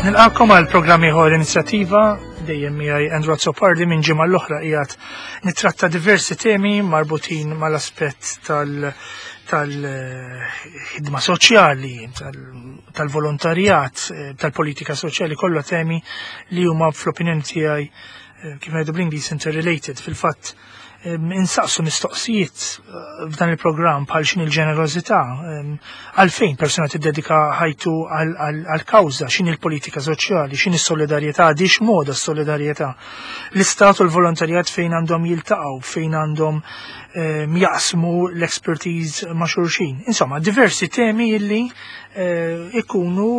Nilqakom għal programm ieħor inizjattiva dejjem miegħi Andrew Azzopardi minn ġimgħa l-oħra qiegħed nittratta diversi temi marbutin mal-aspett tal- tal-ħidma soċjali, tal-volontarjat, tal-politika soċjali, kollha temi li huma fl-opinjoni tiegħi eh, kif ngħidu bl-Ingliż interrelated. Fil-fatt insaqsu mistoqsijiet eh, f'dan il-programm bħal x'in il-ġenerożità, għalfejn persuna tiddedika ħajtu għal-kawża, x'in il-politika soċjali, x'in is-solidarjetà, għadix moda s-solidarjetà. L-istat u l-volontarjat fejn għandhom jiltaqgħu, fejn għandhom jaqsmu l-expertise ma' xulxin. Insomma, diversi temi illi eh, ikunu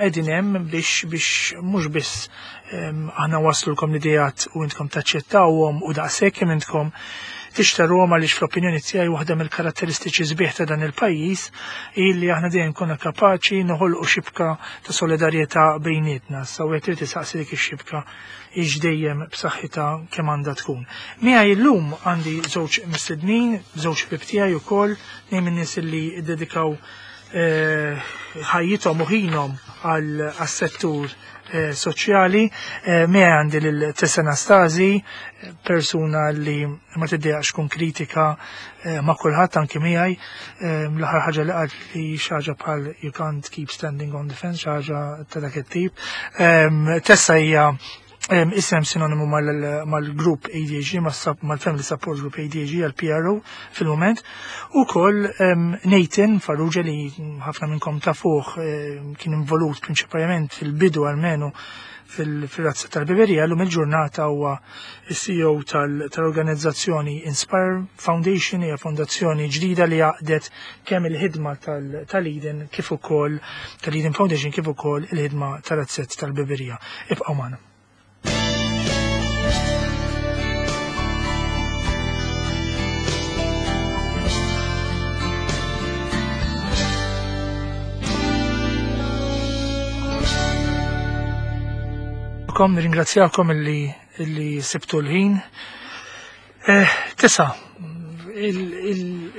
qegħdin hemm biex biex mhux biss aħna waslulkom l-idejat u intkom taċċettawhom u daqshekk kemm intkom tixtaruhom għaliex fl-opinjoni tiegħi waħda mill-karatteristiċi sbieħ ta' dan il-pajjiż hi li aħna dejjem konna kapaċi noħolqu xibka ta' solidarjetà bejnietna. Sa wieħed irid isaqsi dik ix-xibka hix dejjem b'saħħitha kemm għandha tkun. Miegħi llum għandi żewġ mistednin, żewġ ħbieb tiegħi wkoll, tnejn min-nies li ddedikaw eh, ħajjithom u ħinhom għas-settur eh, soċjali. Eh, miegħi għandi lil Tessa Anastasi, persuna li ma tiddejaqx kun kritika eh, ma' kulħadd anki miegħi. L-aħħar ħaġa li qalt li xi ħaġa bħal you can't keep standing on the fence, xi ħaġa ta' dak it-tip. Tessa hija isem sinonimu mal-grupp ADHD, mal-Family Support Group ADHD, għal-PRO fil-moment. U koll Nathan Farrugia li ħafna minnkom tafuh kien involut prinċipalment fil-bidu almenu fil-razza tal-Biberija, l-lum il-ġurnata huwa il-CEO tal-organizzazzjoni Inspire Foundation, hija fondazzjoni ġdida li għaqdet kemm il-ħidma tal-Eden kif ukoll tal-Eden Foundation kif ukoll il-ħidma tal-razzett tal-Biberija. Ibqgħu magħna. Kom, nirringrazzjakom illi, illi sibtu l-ħin. Eh, tisa,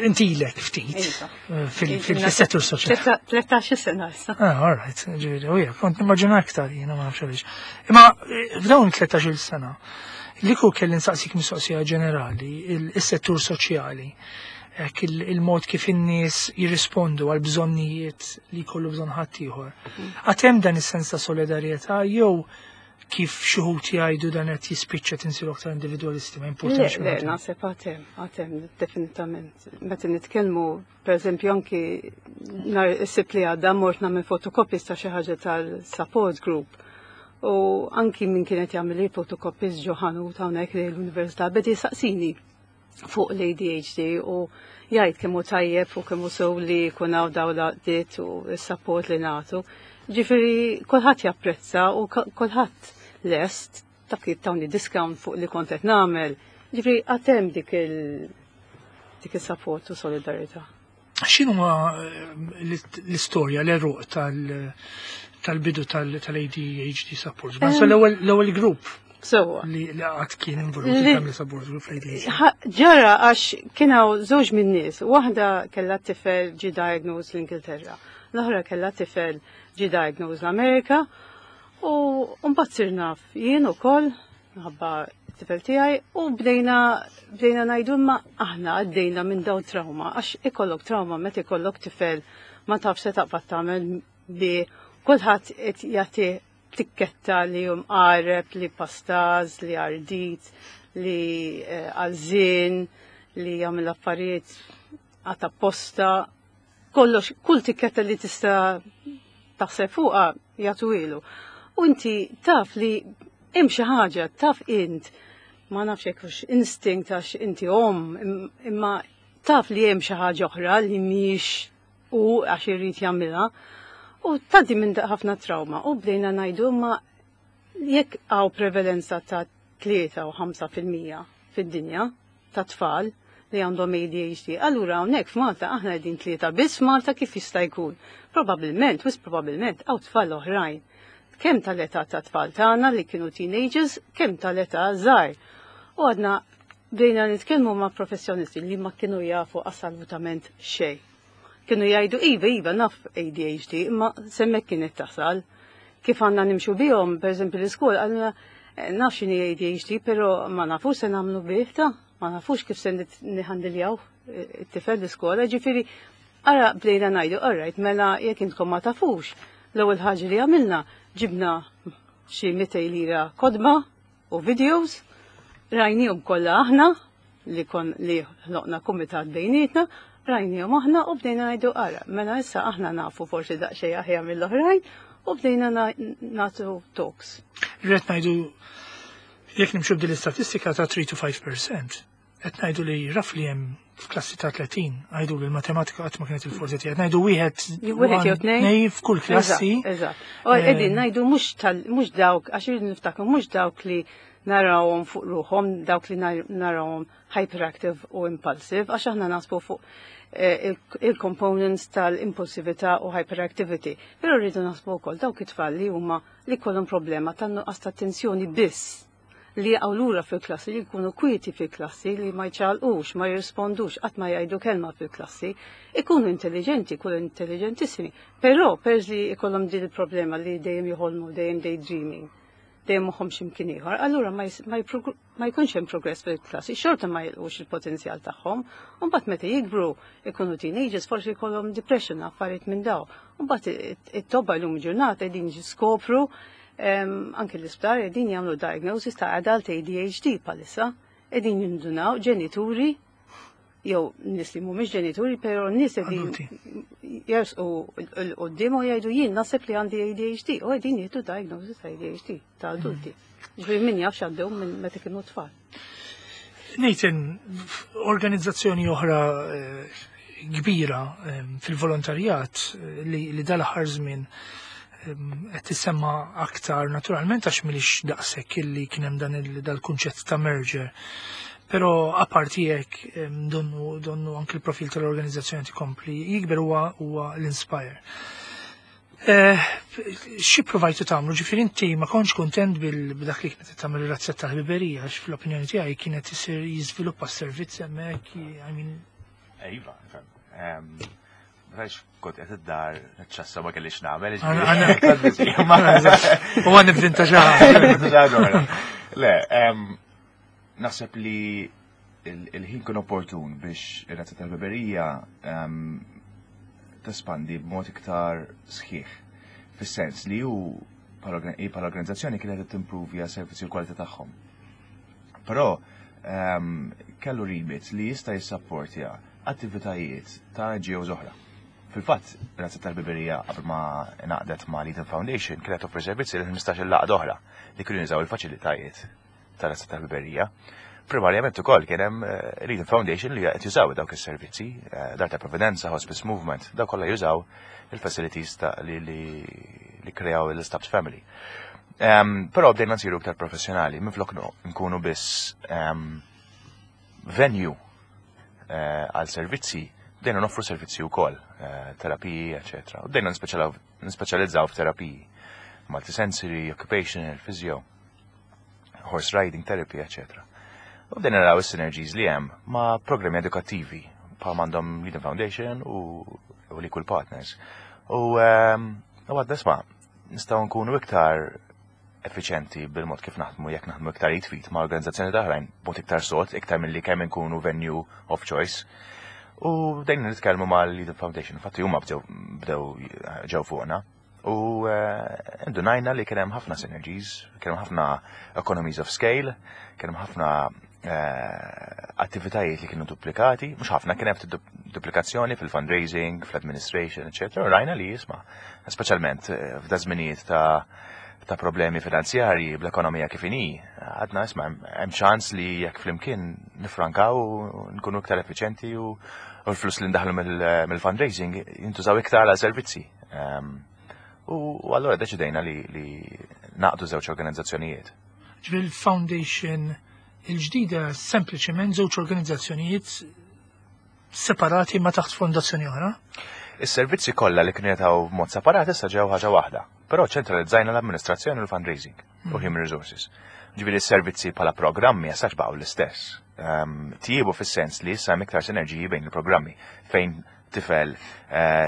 intilek ftit Iva. eh, fil-settur soċjali. 13 sena issa. Ah, all right, ġifieri, u jek, kont nimmaġina aktar jiena ma nafx għaliex. Imma eh, f'dawn 13-il sena, li ku kelli nsaqsik mistoqsija ġenerali, il-settur soċjali, hekk il-mod kif in-nies jirrispondu għal bżonnijiet li jkollu bżonn ħaddieħor. Għad hemm dan is-sens ta' solidarjetà jew kif xi wħud jgħidu dan qed jispiċċa tinsiru aktar individwalisti ma Le, jimpurtax. le, naħseb għatem, għatem, definitament. Meta nitkellmu, per eżempju, anki nhar is-Sibt li għadda mort nagħmel fotocopies ta' xi ħaġa tal-support group. U anki min kienet jagħmel il-fotocopies ġo ħanut hawnhekk li l-università beda jisaqsini fuq l-ADHD u jgħid kemm hu tajjeb u kemm hu sew li jkun hawn dawn l-għaqdiet u s-support li nagħtu. Ġifieri kulħadd japprezza u kulħadd lest ta' kif tawni discount fuq li kont qed nagħmel. Ġifieri għad hemm dik il dik is-support u solidarità. X'inhuma l-istorja, l-eruq tal-bidu tal-ADHD support? So l-ewwel grupp Sewwa. li qatt kien involut il-Family Support Group fl-ADHD. Ġara għax kien hawn żewġ minn nies, waħda kellha tifel ġi diagnosed l-Ingilterra, l-oħra kellha tifel ġi diagnosed l-Amerika u mbagħad sir naf jien ukoll minħabba t-tifel tiegħi u bdejna bdejna ngħidu imma aħna għaddejna minn dawn trauma għax ikollok trauma meta ikollok tifel ma tafx se taqbad tagħmel bi kulħadd qed jagħti tikketta li jum qareb, li pastaż, li ardit, li għalżin, li jagħmel affarijiet għata posta, kollox, kull tikketta li tista' taħseb fuqha jagħtu ilu. U inti taf li hemm xi ħaġa, taf int, ma nafx jekk hux instinct għax inti omm, imma taf li hemm xi ħaġa oħra li mhix u għax irid jagħmilha. U tgħaddi minn ħafna trauma u bdejna ngħidu ma jekk hawn prevalenza ta' 3 u 5% fid-dinja ta' tfal li għandhom ADHD, allura hawnhekk f'Malta aħna qegħdin 3 biss f'Malta kif jista' jkun. Probabbilment, wis probabbilment hawn tfal oħrajn. Kemm tal-età ta' tfal tagħna li kienu teenagers, kemm tal-età żgħar. U għadna bdejna nitkellmu ma' professjonisti li ma kienu jafu assolutament xejn. Kienu jgħidu, iva, iva, naf ADHD, imma s'hemmhekk kienet tasal. kif għandna nimxu bihom, per eżempju l-iskola, għalna naf x'inhi ADHD, però ma nafux se nagħmlu bih ta' ma nafux kif se niħandiljaw it-tifel l-iskola, ġifieri ara bdejna ngħidu, all right, mela jekk intkom ma tafux, l-ewwel ħaġa li għamilna ġibna xi 200 lira kotba u videos, rajnihom kollha aħna li kon li ħloqna kumitat bejnietna, rajnihom aħna u bdejna ngħidu ara, mela issa aħna nafu forsi daqsxejn aħjar mill-oħrajn u bdejna nagħtu talks. Rrid ngħidu jekk nimxu b'din l-istatistika ta' 3 to 5%, qed ngħidu li roughly hemm f'klassi ta' 30, għidu li l-matematika qatt ma kienet il-forti tiegħek, ngħidu wieħed Wieħed jew tnejn. f'kull klassi. Eżatt. U qegħdin ngħidu mhux dawk, għax irridu niftakru mhux dawk li narawhom fuq ruħhom, dawk li narawhom hyperactive u impulsive, għax aħna naħsbu fuq il-components tal-impulsività u hyperactivity. Però rridu naħsbu wkoll dawk it-tfal li huma li kollhom problema tan-nuqqas ta' attenzjoni biss, li jaqgħu lura fil-klassi, li jkunu kwieti fil-klassi, li ma jċaqalqux, ma jirrispondux, qatt ma jgħidu kelma fil-klassi, ikunu intelligenti, ikunu intelligentissimi, però perż li jkollhom din il-problema li dejjem joħolmu, dejjem daydreaming, dejjem moħħhom x'imkien ieħor, allura ma jkunx hemm progress fil-klassi, xorta ma jilqux il-potenzjal tagħhom, u mbagħad meta jikbru ikunu teenagers forsi jkollhom depression, affarijiet minn daw. U mbagħad it-tobba llum ġurnata qegħdin jiskopru anke l-isptar qegħdin jagħmlu diagnosis ta' adult ADHD bħalissa, qegħdin jindunaw ġenituri jew nies li mhumiex ġenituri, però nies qegħdin Adulti. jersqu 'l quddiem u jgħidu jien naħseb li għandi ADHD u qegħdin jieħdu diagnosis ta' ADHD ta' adulti. Ġifieri min jaf x'għaddew minn meta kienu tfal. Nathan, organizzazzjoni oħra kbira fil-volontarjat li dal-aħħar żmien qed tissemma aktar naturalment għax m'ilhiex daqshekk illi kien hemm dan dal-kunċett ta' merger. Però apparti hekk donnu anke l-profil tal-organizzazzjoni tikompli jikber huwa l-Inspire. Xi provajtu tagħmlu? Ġifieri inti ma kontx kuntent b'dak li kienet tagħmel ir-razzetta tal-ħbiberija, għax fl-opinjoni tiegħi kienet isir jiżviluppa s-servizz hemmhekk, I mean. Iva, nifhem. Għax kont qed id-dar ċassa ma kellix nagħmel, U għan nivvinta xi ħaġa. Le, naħseb li il-ħin kien opportun biex ir-razzetta tal-ħbiberija tespandi b'mod iktar sħiħ. Fis-sens li hu bħala organizzazzjoni kienet qed timprovja servizzi u l-kwalità tagħhom. Però kellu remit li jista' jissapportja attivitajiet ta' NGOs oħra. Fil-fatt, Razzetta tal-Ħbiberija qabel ma ngħaqdet ma' Lead Foundation kienet toffri servizzi lil 15 għaqda oħra li kienu jużaw il-faċilitajiet ta' Razzetta tal-Ħbiberija. Primarjament ukoll kien hemm Lead Foundation li qed jużaw dawk is-servizzi, Dar ta' Providenza, Hospice Movement, dawk kollha jużaw il-facilities ta' li kreaw l-Stubbs Family. Però bdejna nsiru iktar professjonali, minflok nkunu biss venue għal servizzi, bdejna noffru servizzi wkoll, terapiji, eccetera. U bdejna nispeċjalizzaw f'terapiji, multisensory, occupational, physio, horse riding therapy, eccetera. U bdejna naraw is-synergies li hemm ma' programmi edukattivi bħal m'għandhom Lead Foundation u l-Equal Partners. U għadna isma' nistgħu nkunu iktar effiċenti bil-mod kif naħdmu jekk naħdmu iktar id f'id ma' organizzazzjoni oħrajn, b'mod iktar sod, iktar milli kemm inkunu venue of choice. U bdejna nitkellmu ma' Lead Foundation, infatti huma bdew ġew fuqna. U indunajna li kien hemm ħafna synergies, kien hemm ħafna economies of scale, kien hemm ħafna attivitajiet li kienu duplikati, mhux ħafna, kien hemm duplikazzjoni fil-fundraising, fl-administration, eccetera. U rajna li jisma', speċjalment f'da żminijiet ta' problemi finanzjarji bl-ekonomija kif inhi, għadna isma' hemm ċans li jekk flimkien nifrankaw u nkunu iktar effiċenti u l-flus li ndaħlu mill-fundraising jintużaw iktar għal servizzi. U allura deċidejna li naqdu żewġ organizzazzjonijiet. Ġifieri il-foundation il-ġdida sempliċement żewġ organizzazzjonijiet separati ma taħt fondazzjoni oħra? Is-servizzi kollha li kienu jingħataw b'mod separat issa ġew ħaġa waħda, però ċentralizzajna l-amministrazzjoni u l-fundraising u human resources. Ġifieri s-servizzi bħala programmi għasax baqgħu l-istess. Tjiebu fis-sens li issa hemm iktar sinerġiji bejn il-programmi fejn tifel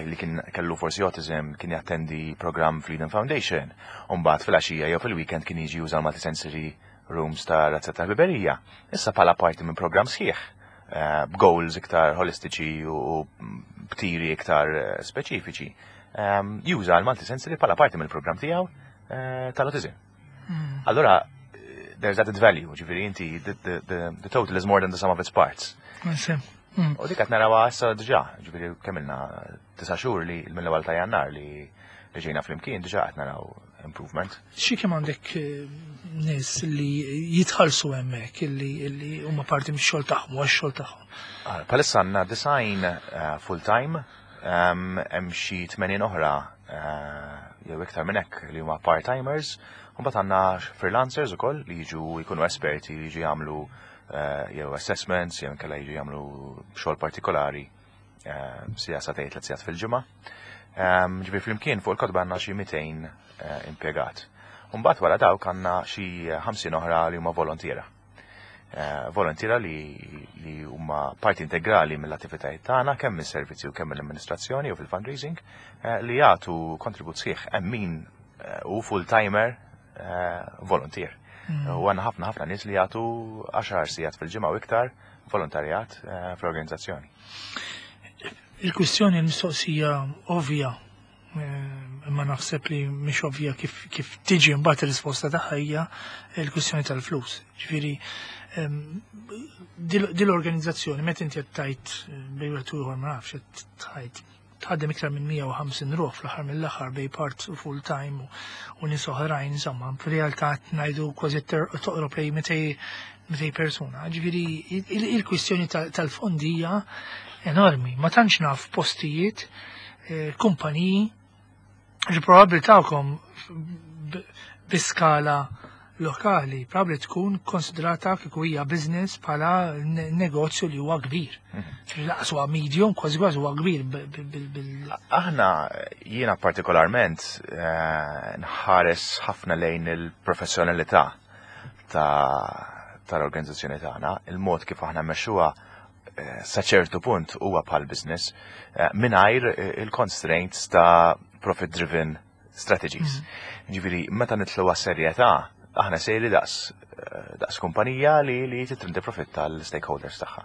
li kien kellu forsi autism kien jattendi programm fl-Eden Foundation, u mbagħad fil-għaxija jew fil-weekend kien jiġi juża l-multisensory rooms ta' Razzett tal-Ħbiberija. Issa bħala parti minn programm sħiħ, b'goals iktar holistiċi u b'tiri iktar speċifiċi, juża l-multisensory bħala parti mill-programm tiegħu tal-autism. Allora, there's added value, ġifieri inti, the total is more than the sum of its parts. U dik qed narawha issa diġà, ġifieri kemm ilna 9 xhur li mill-ewwel ta' Jannar li ġejna flimkien, diġà qed naraw improvement. Xi kemm għandek nies li jitħallsu hemmhekk illi huma parti mix-xogħol tagħhom u għax-xogħol tagħhom? Bħalissa għandna 90 full-time, hemm xi 80 oħra jew iktar minn hekk li huma part-timers, u mbagħad għandna freelancers ukoll li jiġu jkunu esperti li jiġu jagħmlu jew assessments jew inkella jiġu jagħmlu xogħol partikolari siegħa, sagħtejn, 3 sigħat fil-ġimgħa. Ġifieri flimkien fuq il-kotba għandna xi 200 impjegat. Mbagħad wara dawk għandna xi 50 oħra li huma volontiera. Volontiera li huma parti integrali mill-attivitajiet tagħna kemm mis-servizzi u kemm mill-amministrazzjoni u fil-fundraising li jagħtu kontribut sħiħ, hemm min u full-timer volunteer. U għandna ħafna ħafna nies li jagħtu 10 sigħat fil-ġimgħa u iktar volontarjat fl-organizzazzjoni. Il-kwistjoni, l-mistoqsija ovvja, imma naħseb li mhix ovvja kif tiġi mbagħad ir-risposta tagħha, hija l-kwistjoni tal-flus. Ġifieri dil-organizzazzjoni meta inti qed tgħid bejn wieħed u ieħor, ma nafx, qed tgħid tħaddem iktar minn 150 ruħ fl-aħħar mill-aħħar bejn part u full time u nies oħrajn, insomma, f'realtà qed ngħidu kważi toqrob lejn 200 persuna. Ġifieri il-kwistjoni tal-fondi hija enormi. Ma tantx naf postijiet, kumpaniji, ġi probabbli tagħkom bi skala lokali, probabbli tkun konsidrata kieku hija business bħala negozju li huwa kbir. Lanqas huwa medium, kważi kważi huwa kbir bil Aħna, jiena partikolarment, nħares ħafna lejn il-professjonalità tal-organizzazzjoni tagħna, il-mod kif aħna mmexxuha sa ċertu punt huwa bħal business mingħajr il-constraints ta' profit-driven strategies. Ġifieri, meta nidħlu għas-serjetà, aħna sejri daqs kumpanija li trid profit tal-stakeholders tagħha.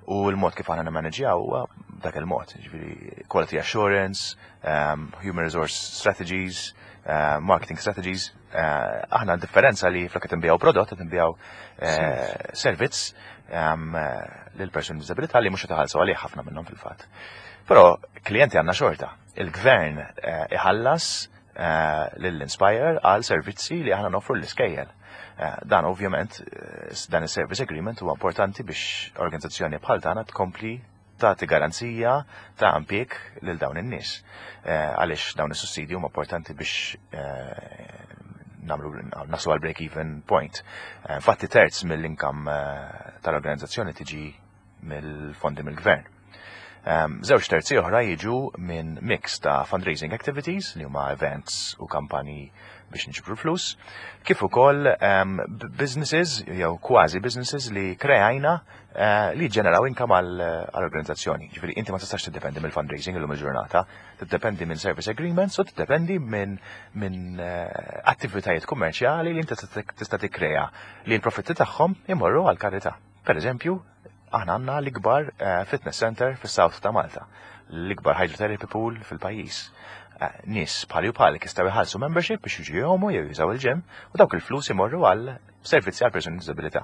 U l-mod kif aħna nimmaneġjaw huwa dak il-mod, ġifieri quality assurance, human resource strategies, marketing strategies. Aħna differenza li flok qed nbigħu prodott, qed nbigħu servizz lil persuni b'diżabilità li mhux qed iħallsu għalih ħafna minnhom fil-fatt. Però klijenti għandna xorta. Il-gvern iħallas lill-Inspire għal servizzi li aħna noffru l-iskejjel. Dan ovvjament, dan is-service agreement huwa importanti biex organizzazzjoni bħal tagħna tkompli tagħti garanzija ta' impjieg lil dawn in-nies. Għaliex dawn is-sussidji huma importanti biex nagħmlu naslu għal break-even point. Infatti terz mill-income tal-organizzazzjoni tiġi mill-fondi mill-gvern. Żewġ terzi oħra jiġu minn mix ta' fundraising activities li huma events u kampanji biex niġbru flus, kif ukoll businesses jew kważi businesses li kreajna li ġeneraw income għall-organizzazzjoni. Ġifieri inti ma tistax tiddependi mill-fundraising illum il-ġurnata, tiddependi minn service agreements u tiddependi minn attivitajiet kummerċjali li inti tista' tikkrea li l-profitti tagħhom imorru għall-karità. Per eżempju, aħna għandna l-ikbar fitness center fis-South ta' Malta, l-ikbar hydrotherapy pool fil-pajjiż. Nies bħali u bħalek jistgħu jħallsu membership biex jiġu jgħumu jew jużaw il-gym u dawk il-flus imorru għal servizzi għal persuni b'diżabilità.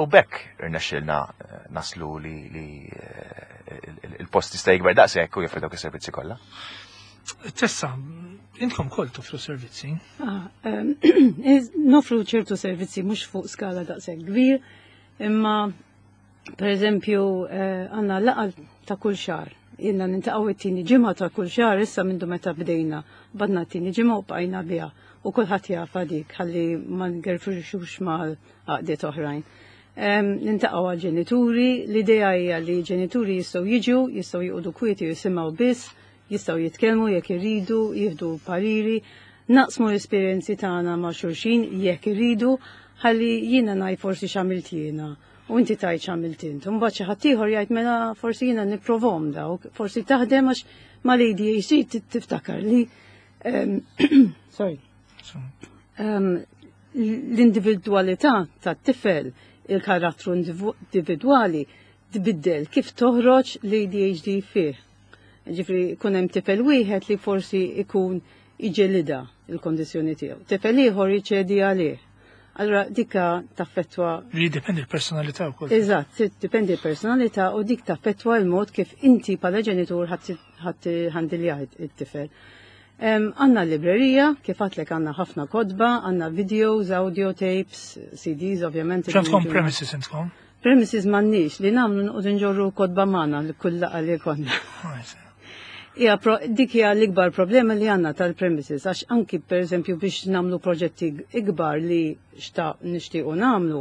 U b'hekk irnexxilna naslu li il-post jista' jikber daqshekk u joffri dawk is-servizzi kollha. Tessa, intkom koll toffru servizzi. Ah, noffru ċertu servizzi mhux fuq skala daqshekk kbir, imma per eżempju għandna laqgħa ta' kull xahar. Ilna niltaqgħu it-tieni ġimgħa ta' kull xahar issa minn meta bdejna. Badna t-tieni ġimgħa u bqajna biha. U kulħadd jafa dik ħalli ma ngerfux mal-għaqdiet oħrajn. Niltaqgħu għal-ġenituri, l-idea hija li ġenituri jistgħu jiġu, jistgħu joqogħdu kwieti u jisimgħu biss, jistgħu jitkellmu jekk iridu, jieħdu pariri, naqsmu l-esperjenzi tagħna ma' xulxin jekk iridu. Ħalli jiena ngħid forsi x'għamilt jiena u inti tgħid x'għamilt int. U mbagħad xi ħadd ieħor jgħid mela forsi jiena nipprovhom dawk, forsi taħdem għax mal-ADHD tiftakar li sorry. L-individwalità tat-tifel, il-karattru individwali tbiddel kif toħroġ l-ADHD fih. Ġifri, kun hemm tifel wieħed li forsi ikun iġelida il-kondizjoni tiegħu. Tifel ieħor jiċedi għalih. Allora dika taffettwa. Li dipendi l-personalità wkoll. Eżatt, dipendi l-personalità u dik taffettwa l-mod kif inti bħala ġenitur ħadd handilja it-tifel. Għanna librerija, kif għatlek għanna ħafna kotba, għanna videos, audio tapes, CDs, ovvjament. X'għandkom premises intkom? Premises m'għandniex li nagħmlu noqogħdu nġorru kotba magħna li kull laqgħa li konna. Ija, dik hija l-ikbar problema li għandna tal-premises, għax anki per eżempju biex nagħmlu proġetti ikbar li xta nixtiequ nagħmlu,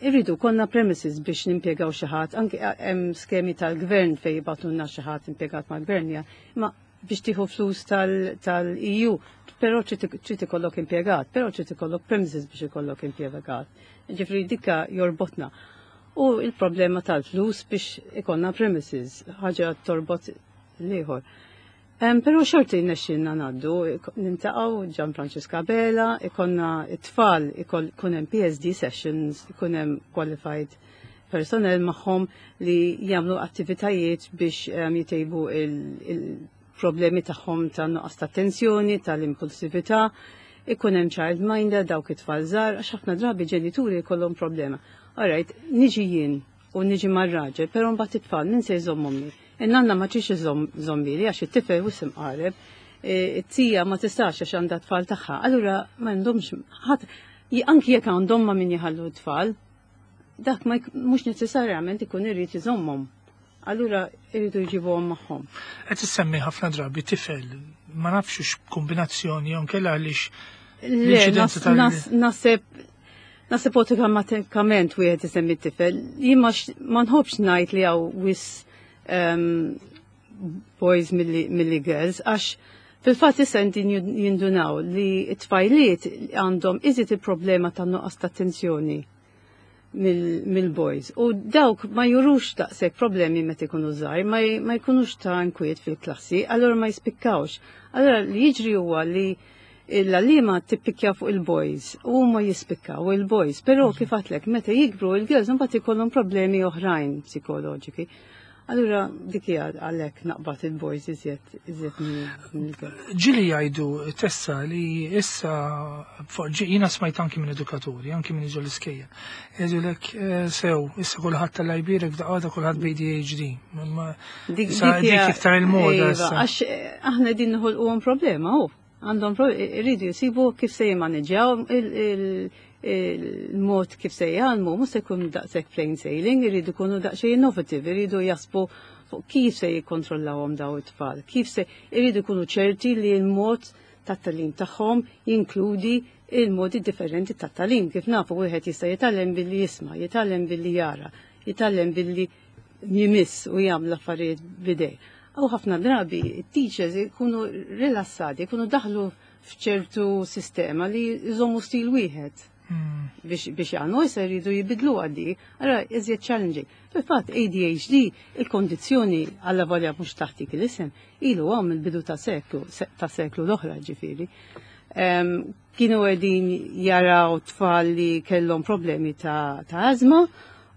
irridu konna premises biex nimpjegaw xi ħadd, anki hemm skemi tal-gvern fejn jibgħatulna xi ħadd impjegat mal-gvern, ja, ma biex tieħu flus tal-EU, però trid ikollok impjegat, però trid ikollok premises biex ikollok impjegat. Ġifri dikka jorbotna. U il-problema tal-flus biex ikollna premises, ħaġa torbot l-ieħor. Però xorti nexxinna ngħaddu, niltaqgħu Gian Francisca Bela, ikonna it-tfal, ikun hemm PSD sessions, ikun hemm qualified personnel magħhom li jagħmlu attivitajiet biex jitejbu il-problemi tagħhom ta' nuqqas ta' attenzjoni, tal-impulsività, ikun hemm child minder dawk it-tfal żgħar, għax ħafna drabi ġenituri jkollhom problema. Alright, niġi jien u niġi mar-raġel, però mbagħad it-tfal min se jżommhom li? In-nanna ma tridx iżommili għax it-tifel wisq imqareb, it-tija ma tistax għax għandha tfal tagħha. Allura ma għandhomx ħadd anki jekk għandhom ma min jħallu t-tfal, dak ma mhux neċessarjament ikun irid iżommhom. Allura iridu jġibuhom magħhom. Qed issemmi ħafna drabi tifel, ma nafx x'kombinazzjoni jew nkella għaliex Le, l-inċidenza naħseb awtomatikament wieħed isemmi t-tifel. Jien ma nħobbx ngħid li hawn wisq boys milli girls, għax fil-fatt issa inti jindunaw li t-tfajliet għandhom iżid il-problema ta' nuqqas ta' attenzjoni mill-boys. U dawk ma jurux daqshekk problemi meta jkunu żgħar, ma jkunux ta' inkwiet fil-klassi, allura ma jispikkawx. Allura li jiġri huwa li l-għalliema tippikja fuq il-boys u ma jispikkaw il-boys, però kif għatlek meta jikbru il-girls mbagħad ikollhom problemi oħrajn psikoloġiki. Allura dik hija għalhekk naqbad il-boys iżjed mill-girls. Ġieli jgħidu Tessa li issa jiena smajt anki minn edukaturi, anki minn ġol iskejjel. Jgħidulek sew, issa kulħadd tal-lajbirek f'daqqa kulħadd b'ADHD. Ma issa Dik hija dik iktar il-moda Iva, issa. għax aħna din noħolquhom problema, hu. Għandhom iridu jsibu kif se jimmaneġġjaw il-mod kif se jgħallmu, mhux se jkun daqshekk plain sailing, iridu jkunu daqsxejn innovative, iridu jaħsbu fuq kif se jikkontrollawhom daw it-tfal, kif se iridu jkunu ċerti li l-mod tat-tagħlim tagħhom jinkludi il-modi differenti tat-tagħlim. Kif nafu wieħed jista' jitgħallem billi jisma', jitgħallem billi jara, jitgħallem billi jimiss u jagħmel affarijiet bidej. U ħafna drabi it-teachers ikunu rilassati, ikunu daħlu f'ċertu sistema li jżommu stil wieħed biex jgħallmu, issa jridu jibidlu għaddi, allura iżjed challenging. Fil-fatt ADHD, il-kondizzjoni għalla volja mhux taħt dik l-isem, ilu għom il-bidu ta' seklu l-oħra ġifieri. Kienu qegħdin jaraw tfal li kellhom problemi ta' azma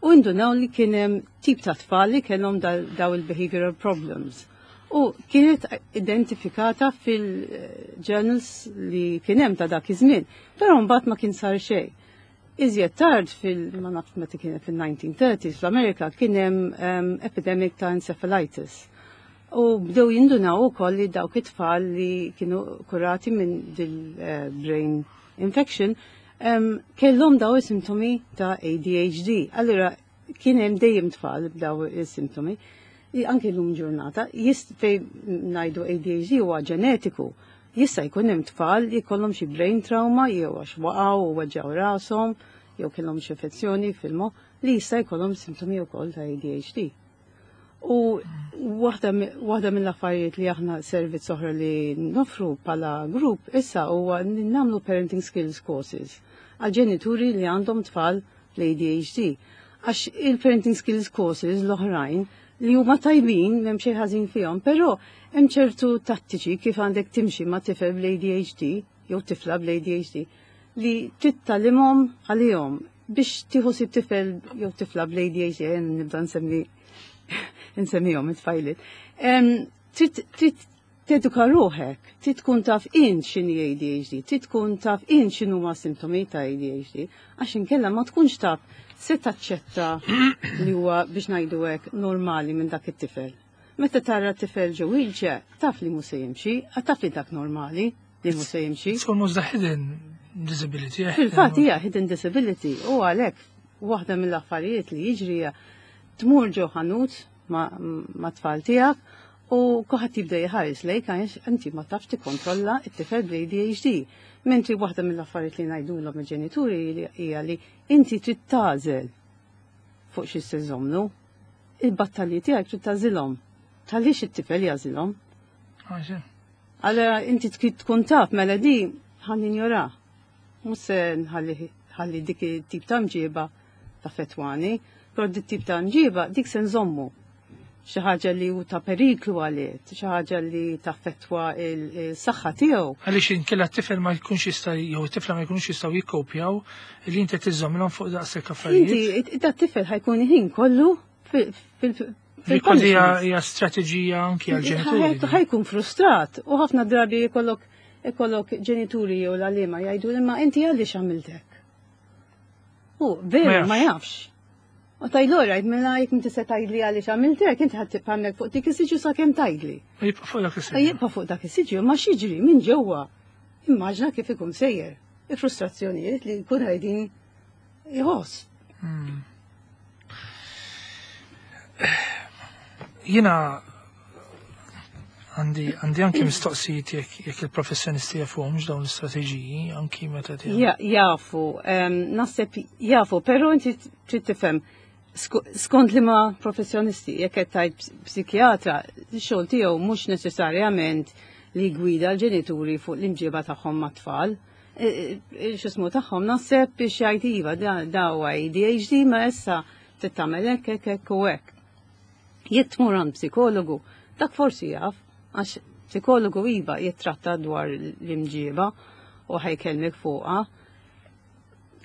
u indunaw li kien hemm tip ta' tfal li kellhom daw il-behavioral problems. U kienet identifikata fil-journals li kien hemm ta' dak iż-żmien, però mbagħad ma kien sar xejn. Iżjed tard fil, ma nafx meta kienet fil-1930s fl-Amerika kien hemm epidemic ta' encephalitis. U bdew jindunaw ukoll li dawk it-tfal li kienu kurati minn dil-brain infection kellhom daw is-sintomi ta' ADHD. Allura kien hemm dejjem tfal b'daw is-sintomi. Anki l-lum ġurnata, fej ngħidu ADHD huwa ġenetiku. Jista' jkun hemm tfal li jkollhom xi brain trauma jew għax waqgħu u weġġgħu rashom jew kellhom xi infezzjoni fil-moħħ li jista' jkollhom sintomi wkoll ta' ADHD. U waħda mill-affarijiet li aħna servizz oħra li nofru bħala grupp issa huwa li nagħmlu parenting skills courses. għal ġenituri li għandhom tfal l-ADHD. Għax il-parenting skills courses l-oħrajn li huma tajbin, m'hemm xejn ħażin fihom, però hemm ċertu tattiċi kif għandek timxi ma' tifel bl-ADHD jew tifla bl-ADHD li trid tgħallimhom għalihom biex tieħu ħsieb tifel jew tifla bl-ADHD, nibda nsemmi nsemmihom it-tfajliet. Trid teduka ruħek, trid tkun taf int x'inhi ADHD, trid tkun taf int x'inhuma sintomi ta' ADHD, għax inkella ma tkunx taf se taċċetta li huwa biex ngħidu hekk normali minn dak it-tifel. Meta tara tifel ġo wheelchair, taf li mhux se jimxi, taf li dak normali li mhux se jimxi. It's almost the hidden disability. Fil-fatt hija hidden disability u għalhekk waħda mill-affarijiet li jiġri hija tmur ġo ħanut ma' tfal tiegħek u kulħadd jibda jħares lejk għax inti ma tafx tikkontrolla t-tifel bl-ADHD. Mentri waħda mill-affarijiet li ngħidulhom il-ġenituri hija li inti trid tagħżel fuq xi se żommu. Il-battalji tiegħek trid tagħżilhom. Tħallix it-tifel jagħżilhom. Allora inti trid tkun taf mela di ħa ninjora. Mhux se nħalli dik it-tip ta' mġiba taffettwani, però dik tip ta' mġiba dik se nżommu. Xi ħaġa li hu ta' periklu għalih, xi ħaġa li taffettwa il-saħħa tiegħu. Għaliex inkella t-tifel ma jkunx jista' jew it-tifla ma jkunux jistgħu jikkopjaw li inti tiżommilhom fuq daqshekk affarijiet. Inti dat tifel ħa jkun ħin kollu fil Kważi hija strateġija anki għal-ġenituri. Ħa jkun frustrat u ħafna drabi jkollok ikollok ġenituri jew l-għalliema jgħidu imma inti għaliex għamilt hekk. U veru ma jafx. U tgħidlu rajt mela jekk inti se tgħidli għaliex għamilt hekk inti ħadd tibqa' hemmhekk fuq dik is-siġġu sakemm tgħidli. Jibqa' fuq dak is-siġġu. Jibqa' fuq dak is-siġġu, ma x'jiġri minn ġewwa. Immaġna kif ikun sejjer. Il-frustrazzjonijiet li jkun qegħdin jħoss. Jiena għandi anki mistoqsijiet jekk il-professjonisti jafuhomx dawn l-istrateġiji anki meta Jafu, naħseb jafu, però inti trid tifhem skont li ma professjonisti, jekk qed tgħid psikjatra, x-xogħol tiegħu mhux neċessarjament li gwida l-ġenituri fuq l-imġiba tagħhom mat-tfal. X'ismu tagħhom naħseb biex jgħid iva da huwa ADHD ma issa trid tagħmel hekk hekk hekk u hekk. Jekk tmur għand psikologu, dak forsi jaf, għax psikologu iva jittratta dwar l-imġiba u ħa jkellmek fuqha.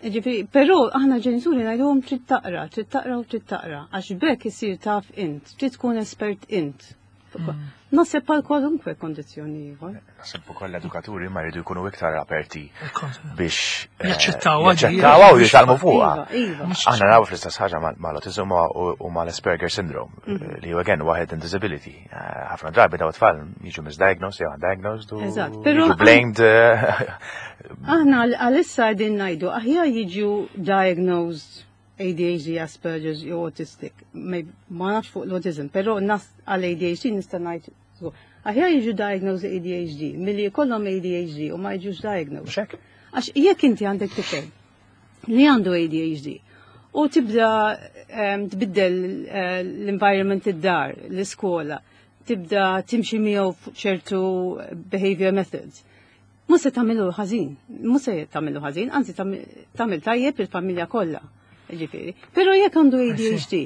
Ġifieri, però aħna ġenituri ngħidulhom trid taqra, trid taqra u trid taqra, għax bekk isir taf int, trid tkun espert int. Naħseb bħal kwalunkwe kondizzjoni ieħor. Naħseb ukoll l-edukaturi ma jridu jkunu iktar aperti biex jaċċettaw jaċċettaw u jitgħallmu fuqha. Iva, iva. Aħna naraw fl-istess ħaġa mal-autism u mal-Asperger syndrome li hu again waħed in disability. Ħafna drabi daw tfal jiġu misdiagnosed jew undiagnosed u Eżatt, però jiġu blamed. Aħna għalissa qegħdin ngħidu aħjar jiġu diagnosed ADHD, Asperger's jew autistic. Ma nafx fuq l-autism, però nas għal ADHD nista' ngħid aħjar jiġu diagnosed ADHD milli jkollhom ADHD u ma jiġux diagnosed. Mhux hekk? Għax jekk inti għandek tifel li għandu ADHD u tibda tbiddel l-environment id-dar, l-iskola, tibda timxi miegħu fuq ċertu behavior methods. Mhux se tagħmilu ħażin, mhux se tagħmilu ħażin, anzi tagħmel tajjeb il-familja kollha. Ġifieri. Però jekk għandu ADHD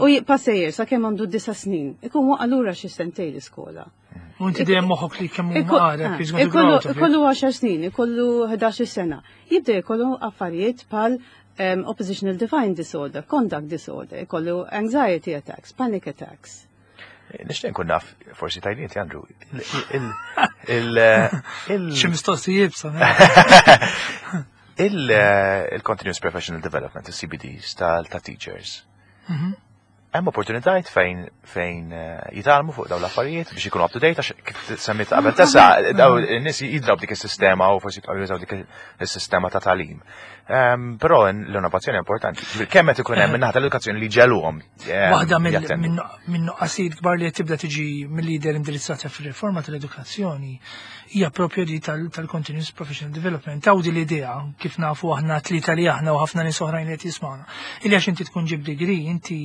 u jibqa' sejjer sakemm għandu 9 snin, ikun waqa' lura xi sentejn l-iskola. U inti dejjem moħħok li kemm huma għaref, he's going to grow out of it. Ikollu 10 snin, ikollu 11 sena. Jibda jkollu affarijiet bħal oppositional defiant disorder, conduct disorder, ikollu anxiety attacks, panic attacks. Nixtieq nkun naf, forsi tajniet, Andrew, Xi mistoqsijiet sa. Il-Continuous Professional Development, il-CPDs tal-teachers. Hemm opportunitajiet fejn jitgħallmu fuq dawn l-affarijiet biex ikunu up to date, għax kif semmit qabel tesa daw in-nies jidraw dik is-sistema u forsi jibqgħu jużaw dik is-sistema ta' tagħlim. Però l-innovazzjoni importanti. Ġifieri, kemm qed ikun hemm min-naħa tal-edukazzjoni li ġeluhom Waħda jattendu. minn nuqqasijiet kbar li qed tibda tiġi mill-lider indirizzata fir-riforma tal-edukazzjoni hija propju di tal-continuous professional development. Taw di l-idea kif nafu aħna tlieta li aħna u ħafna nies oħrajn li qed jismawna. Illi għax inti tkun ġib degree, inti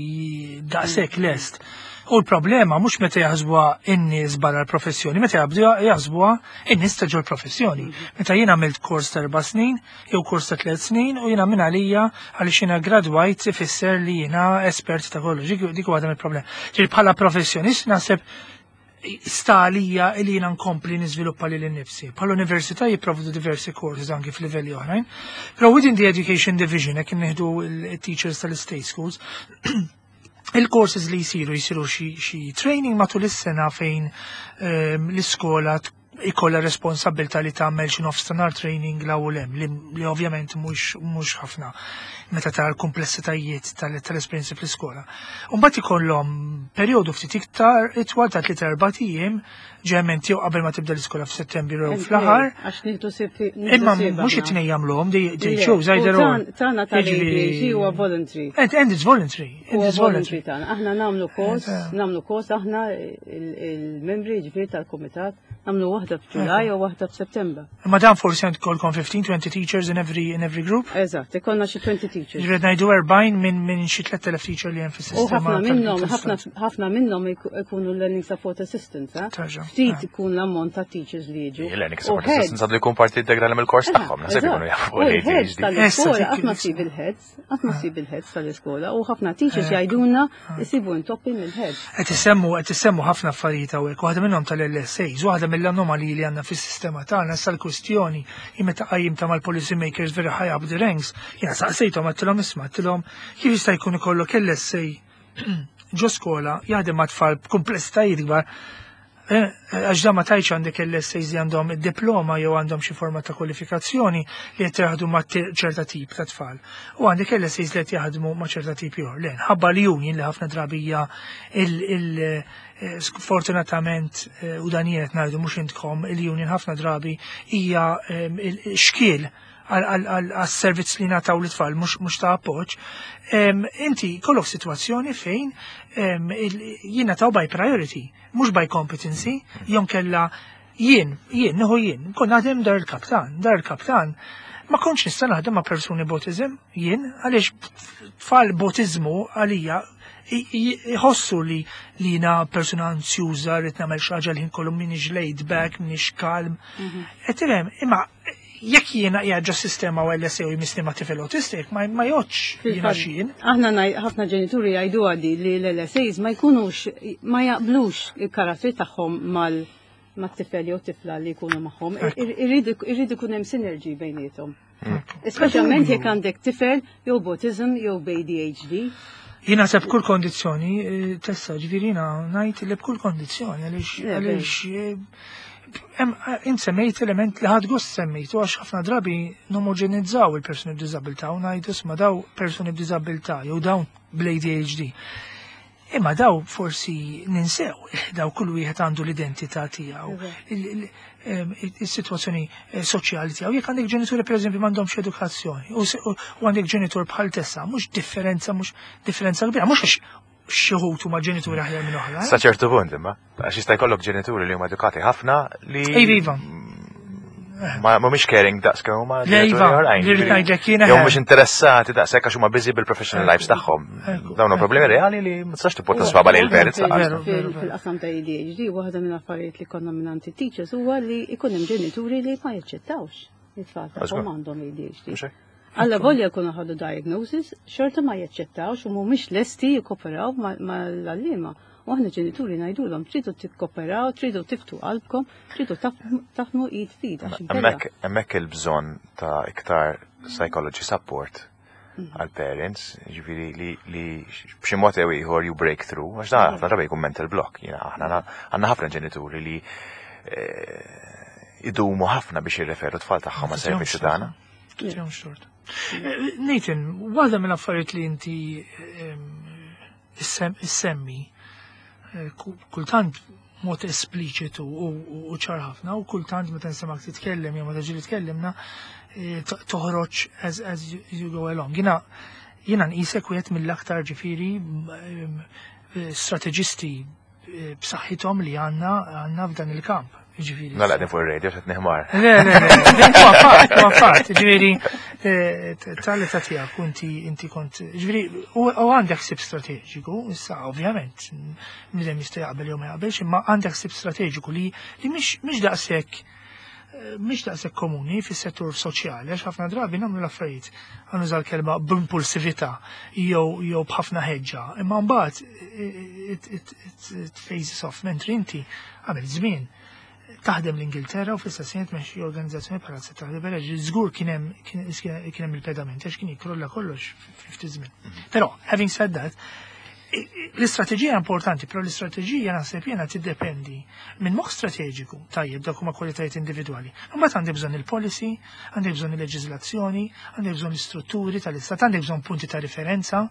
daqshekk lest. U l-problema mhux meta jaħsbuha in-nies barra l-professjoni, meta jaħsbuha in-nies ta' ġol professjoni. Meta jien għamilt kors ta' 4 snin jew kors ta' 3 snin u jiena minn għalija għaliex jiena gradwajt ifisser li jiena espert ta' kollox. Dik waħda mill-problema. Ġifieri bħala professjonist naħseb sta għalija li jiena nkompli niżviluppa lili nnifsi. Bħal università jipprovdu diversi courses anki f'livelli oħrajn. Però within the education division, jekk nieħdu il-teachers tal-state schools, il-courses li jisiru xi training matul is-sena fejn l-iskola ikolla responsabilità li tagħmel xi nofstanhar training 'l hawn u 'l hemm li ovvjament mhux ħafna meta tara l-komplessitajiet tal-esperjenzi fl-iskola. Mbagħad ikollhom perjodu ftit iktar itwal ta' 3-4 ijiem ġement jew qabel ma tibda l-iskola f'Settembru jew fl-aħħar. Għax nieħdu ħsieb. Imma mhux it-tnejn jagħmluhom, they choose either or. Tagħna tal-ADHD huwa voluntary. And it's voluntary. And it's voluntary tagħna. Aħna nagħmlu kors aħna il-membri ġifieri tal-kumitat, nagħmlu waħda f'Ġulaj u waħda f'Settembru. Imma dan forsi għandkom 15-20 teachers in every group? Eżatt, ikollna xi 20 teachers. Ġifieri ngħidu 40 minn xi 3000 teacher li hemm fis-sistema. U ħafna minnhom ħafna minnhom ikunu learning support assistants, eh? Ftit ikun l-ammont ta' teachers li jiġu. Il-learning support assistants għandu jkun parti integrali mill-kors tagħhom, naħseb ikunu jafu l-ADHD. Tal-iskola qatt ma ssib il-heads, qatt ma ssib il-heads tal-iskola u ħafna teachers jgħidulna jsibu intoppi mill-heads. Qed isemmu ħafna affarijiet hawnhekk, waħda minnhom tal-LSAs, waħda mill-anomaliji li għandna fis-sistema tagħna issa l-kwistjoni hi meta qajjimta mal-policy makers very high up the ranks, jiena saqsejthom, għedtilhom, isma', għedtilhom, kif jista' jkun ikollok LSA ġo skola jaħdem ma' tfal b'kumplessitajiet kbar, għax da ma tajċ għandek l-LSAs li għandhom id-diploma jew għandhom xi forma ta' kwalifikazzjoni li qed jaħdmu ma' ċerta tip ta' tfal. U għandek l-LSAs li qed jaħdmu ma' ċerta tip ieħor. Le, ħabba li union li ħafna drabi hija sfortunatament, u dan jien qed ngħidu mhux intkom, il-union ħafna drabi hija xkiel għas-servizz li nataw l-tfal mhux ta' appoġġ. Inti kollok situazzjoni fejn jiena taw by priority, mhux by competency, jew inkella jien, nieħu jien, kont naħdem Dar il-Kaptan, Dar il-Kaptan, ma kontx nista' naħdem ma' persuni b'autism, jien, għaliex tfal b'autizmu għalija jħossu li jiena persuna ansjuża, rrid nagħmel xi ħaġa li kollu, m'iniex laid back, m'iniex kalm. Qed tifhem, imma jekk jiena qiegħed ġo sistema u LSA u jmissni ma' tifel autistic, ma jgħodx jiena x'jien. Aħna ħafna ġenituri jgħidu għadi li l-LSAs ma jkunux, ma jaqblux il-karattri tagħhom mat-tifel jew tifla li jkunu magħhom. Irrid ikun hemm synergy bejniethom. Speċjalment jekk għandek tifel jew b'autism jew b'ADHD. Jiena seb kull kondizzjoni, tessa, ġifieri jiena ngħid li b'kull kondizzjoni, għaliex int semmejt element li ħadt gost semmejtu għax ħafna drabi nomogenizzaw il-persuni b'diżabilità u ngħidu isma' daw persuni b'diżabilità jew dawn bl-ADHD. Imma daw forsi ninsew, daw kull wieħed għandu l-identità tiegħu, il-sitwazzjoni soċjali tiegħu. Jekk għandek ġenituri pereżempju m'għandhomx edukazzjoni u għandek ġenitur bħal Tessa, mhux differenza kbira, mhux għax xi wħud huma ġenituri aħjar minn oħra. Sa ċertu punt imma, għax jista' jkollok ġenituri li huma edukati ħafna li Iva. ma mhumiex caring daqs kemm huma Le, ġenituri iva, oħrajn. li rrid ngħidlek jiena Jew mhux interessati daqshekk għax huma busy bil-professional lives tagħhom. Dawn huma problemi reali li ma tistax tipponta swaba lejn il-parents lanqas. Veru, veru. Fil-qasam ta' ADHD, waħda minn affarijiet li konna minn teachers huwa li ikun hemm ġenituri li ma jaċċettawx it-tfal tagħhom għandhom ADHD. Mhux hekk? Alla volja jkunu ħadu diagnosis, xorta ma jaċċettawx u mhumiex lesti jikkoperaw mal-għalliema. U aħna ġenituri ngħidulhom tridu tikkoperaw, tridu tiftħu qalbkom, tridu taħdmu id f'id għax inkella- Hemmhekk il-bżonn ta' iktar psychology support għal parents, ġifieri li b'xi mod jew ieħor you break through, għax dan ħafna drabi jkun mental block. Jiena aħna għandna ħafna ġenituri li idumu ħafna biex jirreferu tfal tagħhom ma' servizzi tagħna. Tihom xort. Nathan, waħda mill-affarijiet li inti issemmi kultant mod espliċitu u ċar ħafna u kultant meta nsemmak titkellem jew meta ġieli tkellimna toħroġ as you go along. Jiena nqisek wieħed mill-aktar ġifieri strateġisti b'saħħithom li għandna f'dan il-kamp. Ġifieri. Nala qegħdin fuq ir-radio qed niħmar. Le, le, le, huwa fatt, huwa fatt, ġifieri eh, tal-età tiegħek inti inti kont, ġifieri u għandek ħsieb strateġiku, issa ovvjament, bniedem jista' jaqbel jew ma jaqbelx, imma għandek ħsieb strateġiku li li mhix daqshekk eh, mhix daqshekk komuni fis-settur soċjali għax ħafna drabi nagħmlu l-affarijiet ħa nuża l-kelma b'impulsività jew jew b'ħafna ħeġġa, imma mbagħad eh, it phases off mentri inti għamilt żmien taħdem l-Ingilterra u fl-istess ħin tmexxi organizzazzjoni bħala Setta Libera, żgur kien hemm kien hemm il-pedament għax kien jikkrolla kollox ftit żmien. Però, having said that, l-istrateġija importanti, però l-istrateġija naħseb jiena tiddependi minn moħħ strateġiku, tajjeb dak huma kwalitajiet individwali. Imbagħad għandi bżonn il-policy, għandi bżonn il-leġiżlazzjoni, għandi bżonn l-istrutturi tal-istat, għandi bżonn punti ta' riferenza.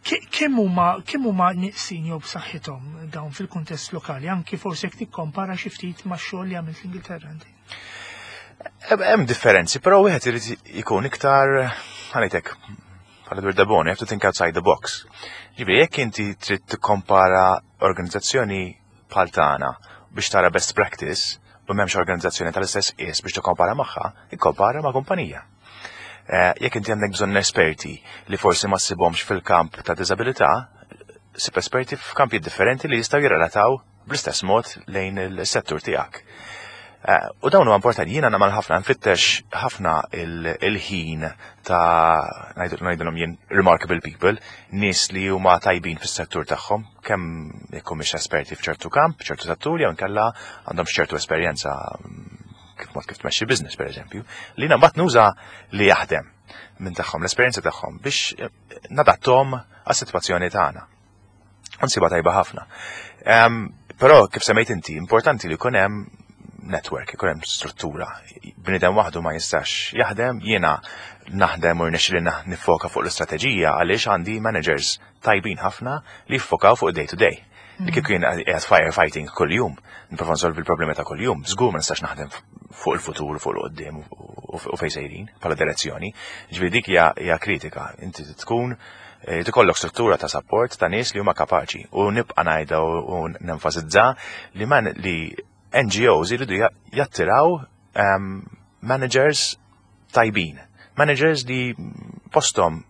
Kemm huma kemm huma nieqsin jew b'saħħithom dawn fil-kuntest lokali, anki forsi jekk tikkompara xi ftit max-xogħol li għamilt l-Ingilterra inti. Hemm differenzi, però wieħed irid ikun iktar ħa ngħidlek bħala Edward de Bono, you have to think outside the box. Ġifieri jekk inti trid tikkompara organizzazzjoni bħal tagħna biex tara best practice u m'hemmx organizzazzjoni tal-istess qies biex tikkompara magħha, ikkompara ma' kumpanija. Jekk inti għandek bżonn esperti li forsi ma ssibhomx fil-kamp ta' diżabilità, sib esperti f'kampi differenti li jistgħu jirrelataw bl-istess mod lejn il-settur tiegħek. U dawn huwa importanti, jiena nagħmel ħafna nfittex ħafna il-ħin ta' ngħidilhom jien remarkable people, nies li huma tajbin fis-settur tagħhom, kemm jekk humiex esperti f'ċertu kamp, ċertu settur, jew inkella għandhom ċertu esperjenza kif mod kif tmexxi business pereżempju, li jiena mbagħad nuża li jaħdem minn tagħhom, l-esperjenza tagħhom biex nadattom għas-sitwazzjoni tagħna. Nsiba tajba ħafna. Però kif semmejt inti, importanti li jkun hemm network, ikun hemm struttura. Bniedem waħdu ma jistax jaħdem, jiena naħdem u rnexxili nifoka fuq l-istrateġija għaliex għandi managers tajbin ħafna li jiffokaw fuq day to day. Li kieku jien qiegħed firefighting kuljum, nipprova nsolvi l-problemi ta' kuljum, żgur ma nistax naħdem fuq il-futur, fuq il-qoddim u fejn sejrin bħala direzzjoni. Ġifieri dik hija kritika. Inti tkun tikollok struttura ta' support ta' nies li huma kapaċi u nibqa' ngħidha u nenfasizza li man li NGOs iridu jattiraw managers tajbin. Managers li postom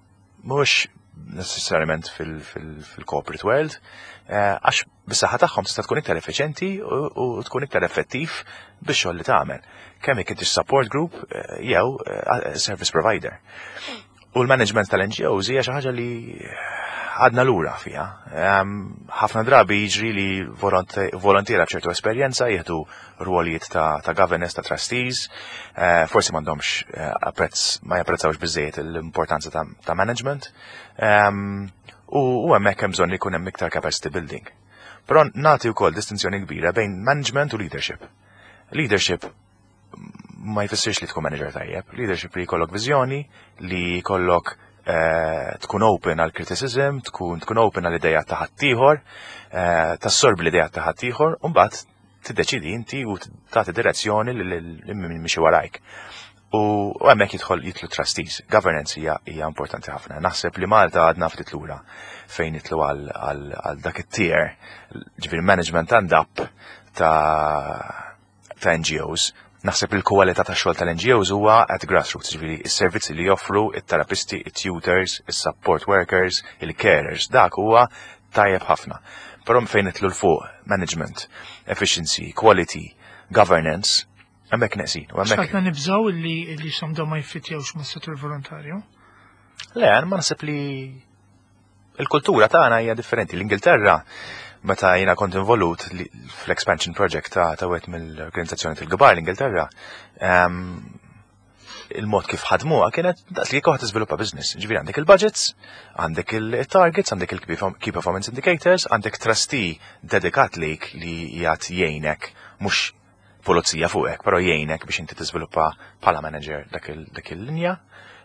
mhux necessarjament fil-corporate world, għax bis-saħħa tagħhom tista' tkun iktar effiċenti u tkun iktar effettiv bix-xogħol li tagħmel. Kemm jekk intix support group jew service provider. U l-management tal-NGOs hija xi ħaġa li għadna lura fiha. Ħafna drabi jiġri li volontiera b'ċertu esperjenza jieħdu rwolijiet ta' governance, ta' trustees, forsi m'għandhomx apprezz, ma japprezzawx biżejjed l-importanza ta' management. U hemmhekk hemm bżonn li jkun hemm iktar capacity building. Però nagħti wkoll distinzjoni kbira bejn management u leadership. Leadership ma jfissirx li tkun manager tajjeb, leadership li jkollok viżjoni, li jkollok tkun open għal criticism, tkun open għal ideja ta' ħaddieħor, tassorbi l-ideja ta' ħaddieħor, u mbagħad tiddeċidi inti u tagħti direzzjoni lil min miexi warajk. U hemmhekk jidħlu trustees. Governance hija importanti ħafna. Naħseb li Malta għadna ftit lura fejn jidħlu għal dak it-tier, ġifieri management and up ta' NGOs. Naħseb li l-kwalità ta' xogħol tal-NGOs huwa at grassroots, ġifieri s-servizzi li joffru it-terapisti, it-tutors, is-support workers, il-carers, dak huwa tajjeb ħafna. Però fejn nidħlu 'l fuq management, efficiency, quality, governance, hemmhekk neqsin. U hemmhekk X'għadna nibżgħu li x'għandhom ma jiffitjawx mas-settur volontarju? Le, ma naħseb li il-kultura tagħna hija differenti. L-Ingilterra, meta jiena kont involut fl-expansion project ta' wieħed mill-organizzazzjoni tal-kbar l-Ingilterra, il-mod kif ħadmuha kienet daqs li kieku tiżviluppa business. Ġifieri għandek il-budgets, għandek il-targets, għandek il-key performance indicators, għandek trustee dedikat lik li jgħat jgħinek, mhux pulizija fuqek, però jgħinek biex inti tiżviluppa bħala manager dak il-linja.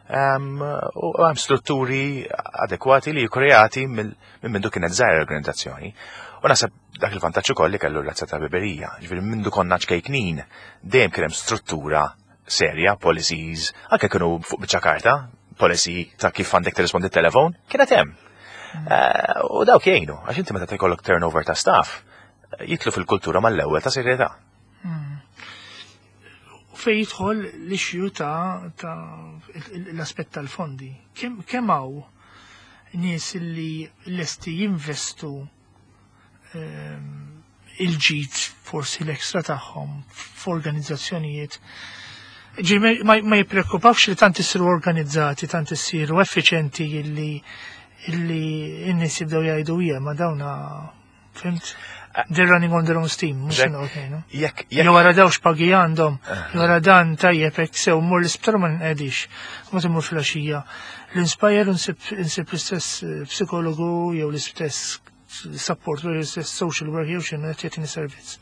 U hemm strutturi adekwati li kreati minn mindu kienet żgħira l-organizzazzjoni. U naħseb dak il-vantaġġ ukoll li kellu l-Razza tal-Ħbiberija. Ġifieri mindu konna ċkejknin dejjem kien hemm struttura serja, policies, anke kienu fuq biċċa karta, policy ta' kif għandek tirrispondi t-telefon, kienet hemm. U dawk jgħinu, għax inti meta jkollok turnover ta' staff, jidħlu fil-kultura mal-ewwel ta' serjetà. U fejn jidħol l-issue ta' l-aspett tal-fondi. Kemm hawn nies li lesti jinvestu il-ġid forsi l-ekstra tagħhom f'organizzazzjonijiet? Ġi ma jippreokkupawx li tant isiru organizzati, tant isiru effiċenti illi n-nies jibdew jgħidu hija ma dawna, fhimt? They're running on their own steam, mhux se noqgħod ngħidu. Jekk Jew wara dawx pagi għandhom, jew wara dan tajjeb hekk sew mmur l-isptar ma nqedix. Ma timmur filgħaxija. L-Inspire insib l-istess psikologu jew l-istess support jew l-istess social work jew x'inhu qed jagħtini servizz.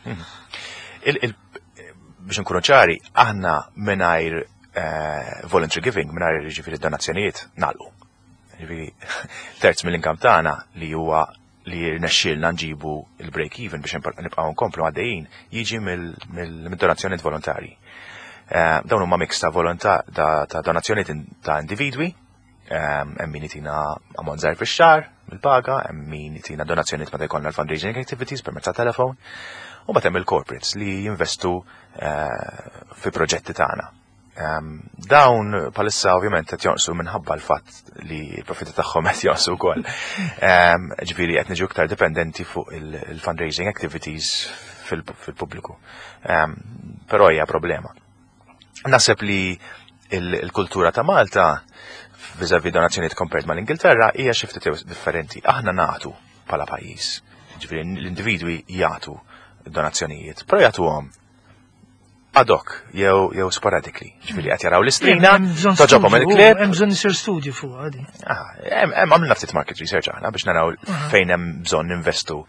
Biex nkunu ċari, aħna mingħajr voluntary giving, mingħajr, ġifieri, donazzjonijiet, nagħlqu. Ġifieri, terz mill-income tagħna li huwa li rnexxielna nġibu il-break even biex nibqgħu nkomplu għaddejjin jiġi mill-donazzjonijiet volontari. Dawn huma mix ta' volontà ta' donazzjonijiet ta' individwi, hemm min itina ammont żgħir fix-xahar mill-paga, hemm min itina donazzjonijiet meta jkollna l-fundraising activities permezz ta' telefon, u mbagħad hemm il-corporates li jinvestu fi proġetti tagħna. Dawn bħalissa ovvjament qed jonqsu minħabba l-fatt li l-profitti tagħhom qed jonqsu wkoll. Ġifieri qed niġu iktar dipendenti fuq il-fundraising activities fil-pubbliku. Però hija problema. Naħseb li il-kultura ta' Malta vis-a-vis donazzjonijiet compared mal-Ingilterra hija xi ftit differenti. Aħna nagħtu bħala pajjiż. Ġifieri l-individwi jagħtu donazzjonijiet, però jagħtuhom ad hoc jew sporadically. Ġifieri qed jaraw l-istrina, Hemm bżonn toġobhom studju, il-clip. Hemm bżonn isir studju fuq għadi. Ah, hemm għamilna ftit market research aħna biex naraw fejn hemm bżonn ninvestu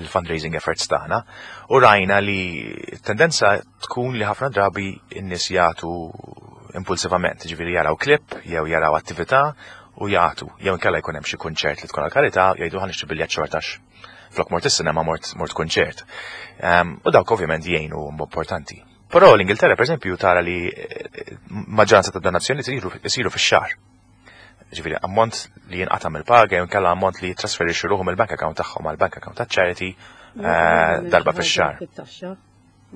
il-fundraising efforts tagħna u rajna li tendenza tkun li ħafna drabi n-nies jagħtu impulsivament, ġifieri jaraw clip jew jaraw attività u jagħtu, jew inkella jkun hemm xi kunċert li tkun għal-karità, jgħidu ħa nixtri biljett xortax flok mort is-sinema mort kunċert. U dawk ovvjament jgħinu, huma importanti. Però l-Ingilterra, per eżempju, tara li maġġoranza ta' donazzjoni isiru fix-xahar. Ġifieri ammont li jinqata' mill-paga jew inkella ammont li jitrasferixxu ruħhom mill-bank account tagħhom għall bank account ta' charity darba fix-xahar. Fit-taxxa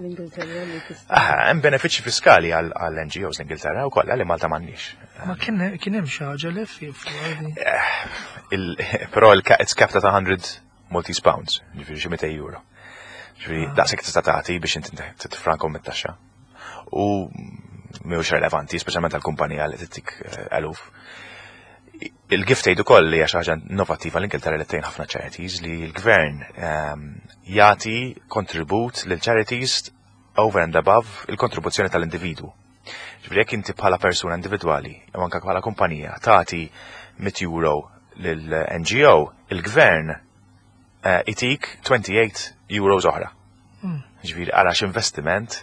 l-Ingilterra li tista' Ah, hemm benefiċċji fiskali għall NGOs l-Ingilterra wkoll li Malta m'għandniex. Ma kien hemm xi ħaġa li fi fuq għadi. Però it's capped at 100 Maltese pounds, ġifieri xi 200 euro. Ġifieri daqshekk tista' tagħti biex inti titfrankom mit-taxxa. U mhuwiex relevanti, speċjalment għall-kumpanija li tittik eluf. Il-gift aid ukoll li hija xi ħaġa innovattiva l-Ingilterra li tgħin ħafna charities, li l-gvern jagħti kontribut lil charities over and above il-kontribuzzjoni tal-individwu. Ġifieri jekk inti bħala persuna individwali jew anke bħala kumpanija tagħti 100 euro lil NGO, il-gvern itik 28 euros oħra. Ġifieri ara x'investiment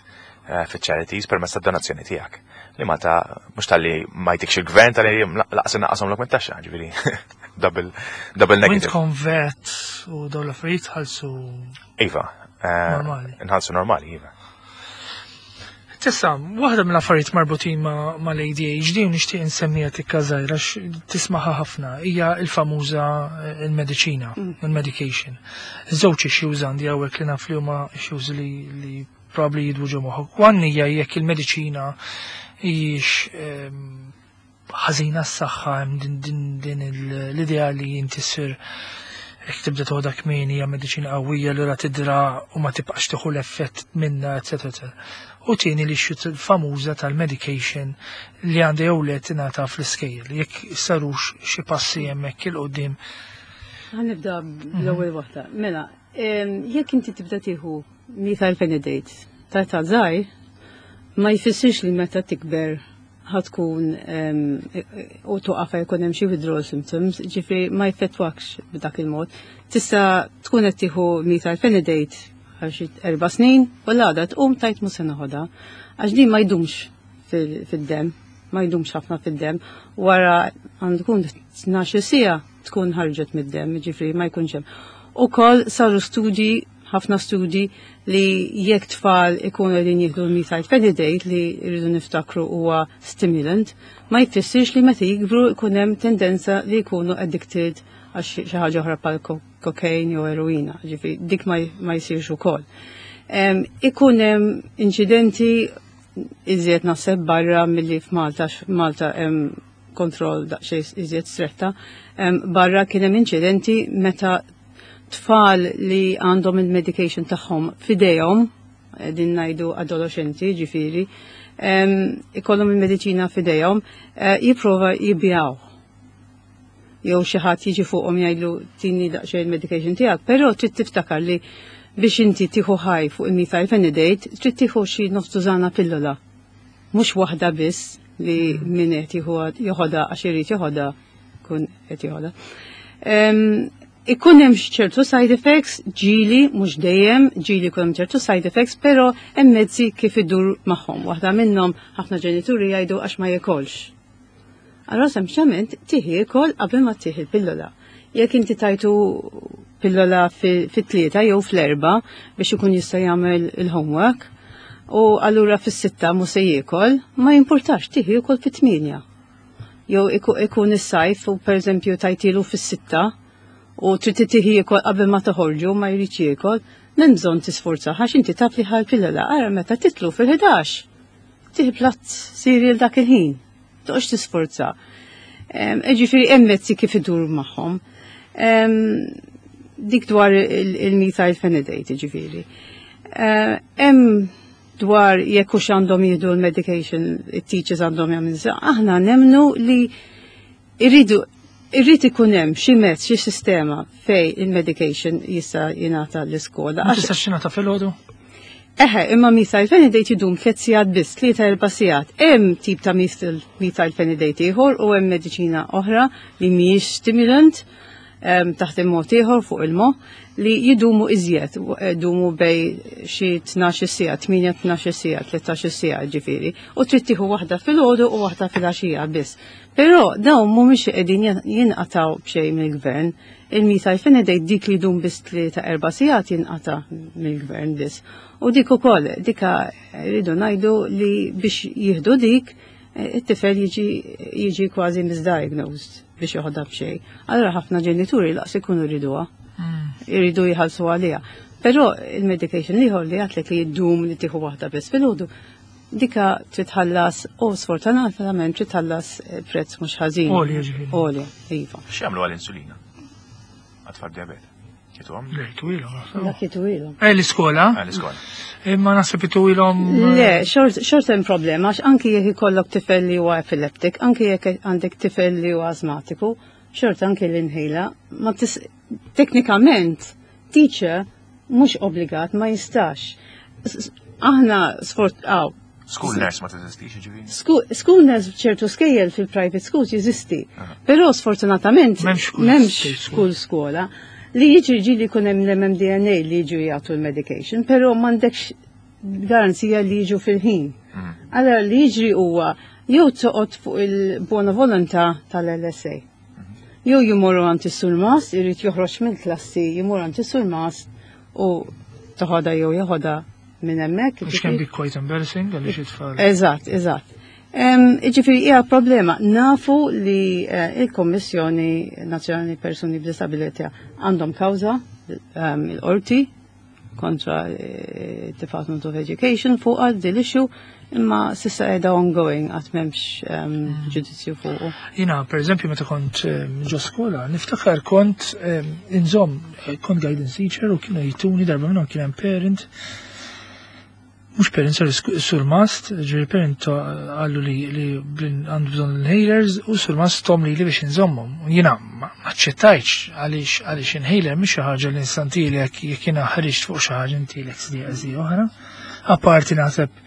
fiċ-charities permezz tad-donazzjoni tiegħek. Li Malta mhux talli ma jtikx il-gvern, talli laqas inaqqashomlok mit-taxxa, ġifieri double negative. Intkom VAT u dawn l-affarijiet ħalsu Iva, normali. Nħallsu normali, iva. Tessa, waħda mill-affarijiet marbutin ma' l-ADHD u nixtieq insemmija tikka żgħira għax tismaħa ħafna hija il-famuża il-mediċina, il-medication. Żewġ issues għandi hawnhekk li naf li huma issues li probably jidwu ġo moħħok. One hija jekk il-mediċina hijiex ħażina s-saħħa, hemm din l-idea li inti ssir jekk tibda toħodha kmieni hija mediċina qawwija li ra tidra u ma tibqax tieħu l-effett minna, eċetera, eċetera. U tieni li xi famuża tal-medication li għandha jew le tingħata fl-iskejjel, jekk sarux xi passi hemmhekk 'il quddiem. Ħa nibda bl-ewwel waħda. Mela, jekk inti tibda tieħu methylphenidate ta' ta' żgħir, ma jfissirx li meta tikber ħa tkun u tuqaf jkun hemm xi withdrawal symptoms, ġifieri ma jfettwakx b'dak il-mod. Tista' tkun qed tieħu methylphenidate għal xi 4 snin u l-għada tqum tgħid mhux se noħodha. Għax din ma jdumx fid-dem, ma jdumx ħafna fid-dem. Wara għandu tkun 12 siegħa tkun ħarġet mid-dem, ġifieri ma jkunx hemm. Ukoll saru studji, ħafna studji, li jekk tfal ikunu qegħdin jieħdu l-methylphenidate, li rridu niftakru huwa stimulant, ma jfissirx li meta jikbru jkun hemm tendenza li jkunu addicted għal xi ħaġa oħra bħal cocaine jew eroina, ġifieri dik ma jsirx ukoll. Ikun hemm inċidenti. iżjed naħseb barra milli f'Malta, Malta hemm kontroll daqsxejn iżjed stretta. Barra kien hemm inċidenti meta tfal li għandhom il-medication tagħhom f'idejhom, din ngħidu adolescenti ġifieri, ikollhom il-mediċina f'idejhom, jipprova jibjaw. Jew xi ħadd jiġi fuqhom jgħidlu tini daqsxejn il-medication tiegħek, però trid tiftakar li biex inti tieħu ħaj fuq il-methylphenidate trid tieħu xi nofs tużana pillola. Mhux waħda biss li min qed joħodha għax irid joħodha kun qed joħodha. Ikun hemm ċertu side effects, ġieli, mhux dejjem, ġieli jkun hemm ċertu side effects, però hemm mezzi kif idur magħhom. Waħda minnhom ħafna ġenituri jgħidu għax ma jekolx. Allora sempliċement tieħi jiekol qabel ma tieħi l-pillola. Jekk inti tajtu pillola fit-3 jew fl-4 biex ikun jista' jagħmel il-homework, u allura fis-6 mhux se jiekol, ma jimpurtax tieħi jiekol fit-8. Jew ikun is-sajf u pereżempju tajtilu fis-6 u trid tieħi jiekol qabel ma toħorġu ma jridx jiekol, m'hemm bżonn tisforza għax inti taf li ħal pillola ara meta titlu fil-11. Tieħi platt cereal dak il-ħin. Toqgħodx tisforza. Ġifieri hemm mezzi kif idur magħhom. Dik dwar il-methylphenidate, ġifieri. Hemm dwar jekk hux għandhom jieħdu l-medication, it-teachers għandhom jagħmlu. Aħna nemnu li irridu irrid ikun hemm xi mezz, xi sistema fej il-medication jista' jingħata l-iskola. Ma tistax jingħata filgħodu? Eħe, imma methylphenidate jidum 3 sigħat biss, 3-4 sigħat. Hemm tip ta' methylphenidate ieħor u hemm mediċina oħra li mhijiex stimulant, taħt il-mod ieħor fuq il-moħħ li jidumu iżjed, jidumu bej xi 12 siegħa, 8-12 siegħa, 13 siegħa ġifieri. U trid tieħu waħda filgħodu u waħda filgħaxija biss. Però dawn mhumiex qegħdin jinqataw b'xejn mill-gvern. Il-methylphenidate dik li jdum biss 3-4 sigħat jinqata' mill-gvern biss. U dik ukoll, dika rridu ngħidu li biex jieħdu dik, it-tifel jiġi kważi misdiagnosed biex joħodha b'xejn. Allura ħafna ġenituri laqs ikunu jriduha. Jridu jħallsu għaliha. Però il-medication ieħor li għatlek li jdum li tieħu waħda biss filgħodu, dika trid tħallas u sfortunatament trid tħallas prezz mhux ħażin. Għolja ġifieri. Għolja, iva. X'jagħmlu għall-insulina? Għat-tfal diabete. Jituhom? Le, jituhilhom, naħseb. Dak jituhilhom. L-iskola? L-iskola. Imma naħseb jituhilhom, Le, xort hemm problema, għax anki jekk ikollok tifel li huwa epileptik, anki jekk għandek tifel li huwa asmatiku, xort anki l-inħila, ma tis, teknikament, teacher mhux obbligat, ma jistax. Aħna sfort, aw. School nurse ma teżistix, ġifieri? School nurse f'ċertu skejjel fil-private schools jeżisti. Però sfortunatament M'hemmx school m'hemmx state school skola. Li jiġri ġieli jkun hemm l-MMDNA li jiġu jagħtu l-medication, però m'għandekx garanzija li jiġu fil-ħin. Allora li jiġri huwa jew toqgħod fuq il-buona volontà tal-LSA. Jew jmorru għand is-surmast, irid joħroġ mill-klassi, jmur għand is-surmast u toħodha jew joħodha minn hemmhekk. Which can be quite embarrassing għaliex it-tfal. Eżatt, eżatt. Ġifieri hija problema. Nafu li il-Kommissjoni Nazzjonali Persuni b'Disabilità għandhom kawża il-qorti kontra Department of Education fuq għal din l-issue, imma s'issa qiegħda ongoing għad m'hemmx ġudizzju fuqu. Jiena, per eżempju, meta kont ġo skola, niftakar kont inżomm, kont guidance teacher u kienu jtuni darba minnhom kien hemm parent, mhux parent, sorry, surmast, ġifieri parent qallu li għandu bżonn l-inhalers u surmast tom li li biex inżommhom. U jiena ma ċċettajtx għaliex inhaler mhix xi ħaġa li nstantilek jekk jiena ħriġt fuq xi ħaġa intilek sdieqa oħra. Apparti naħseb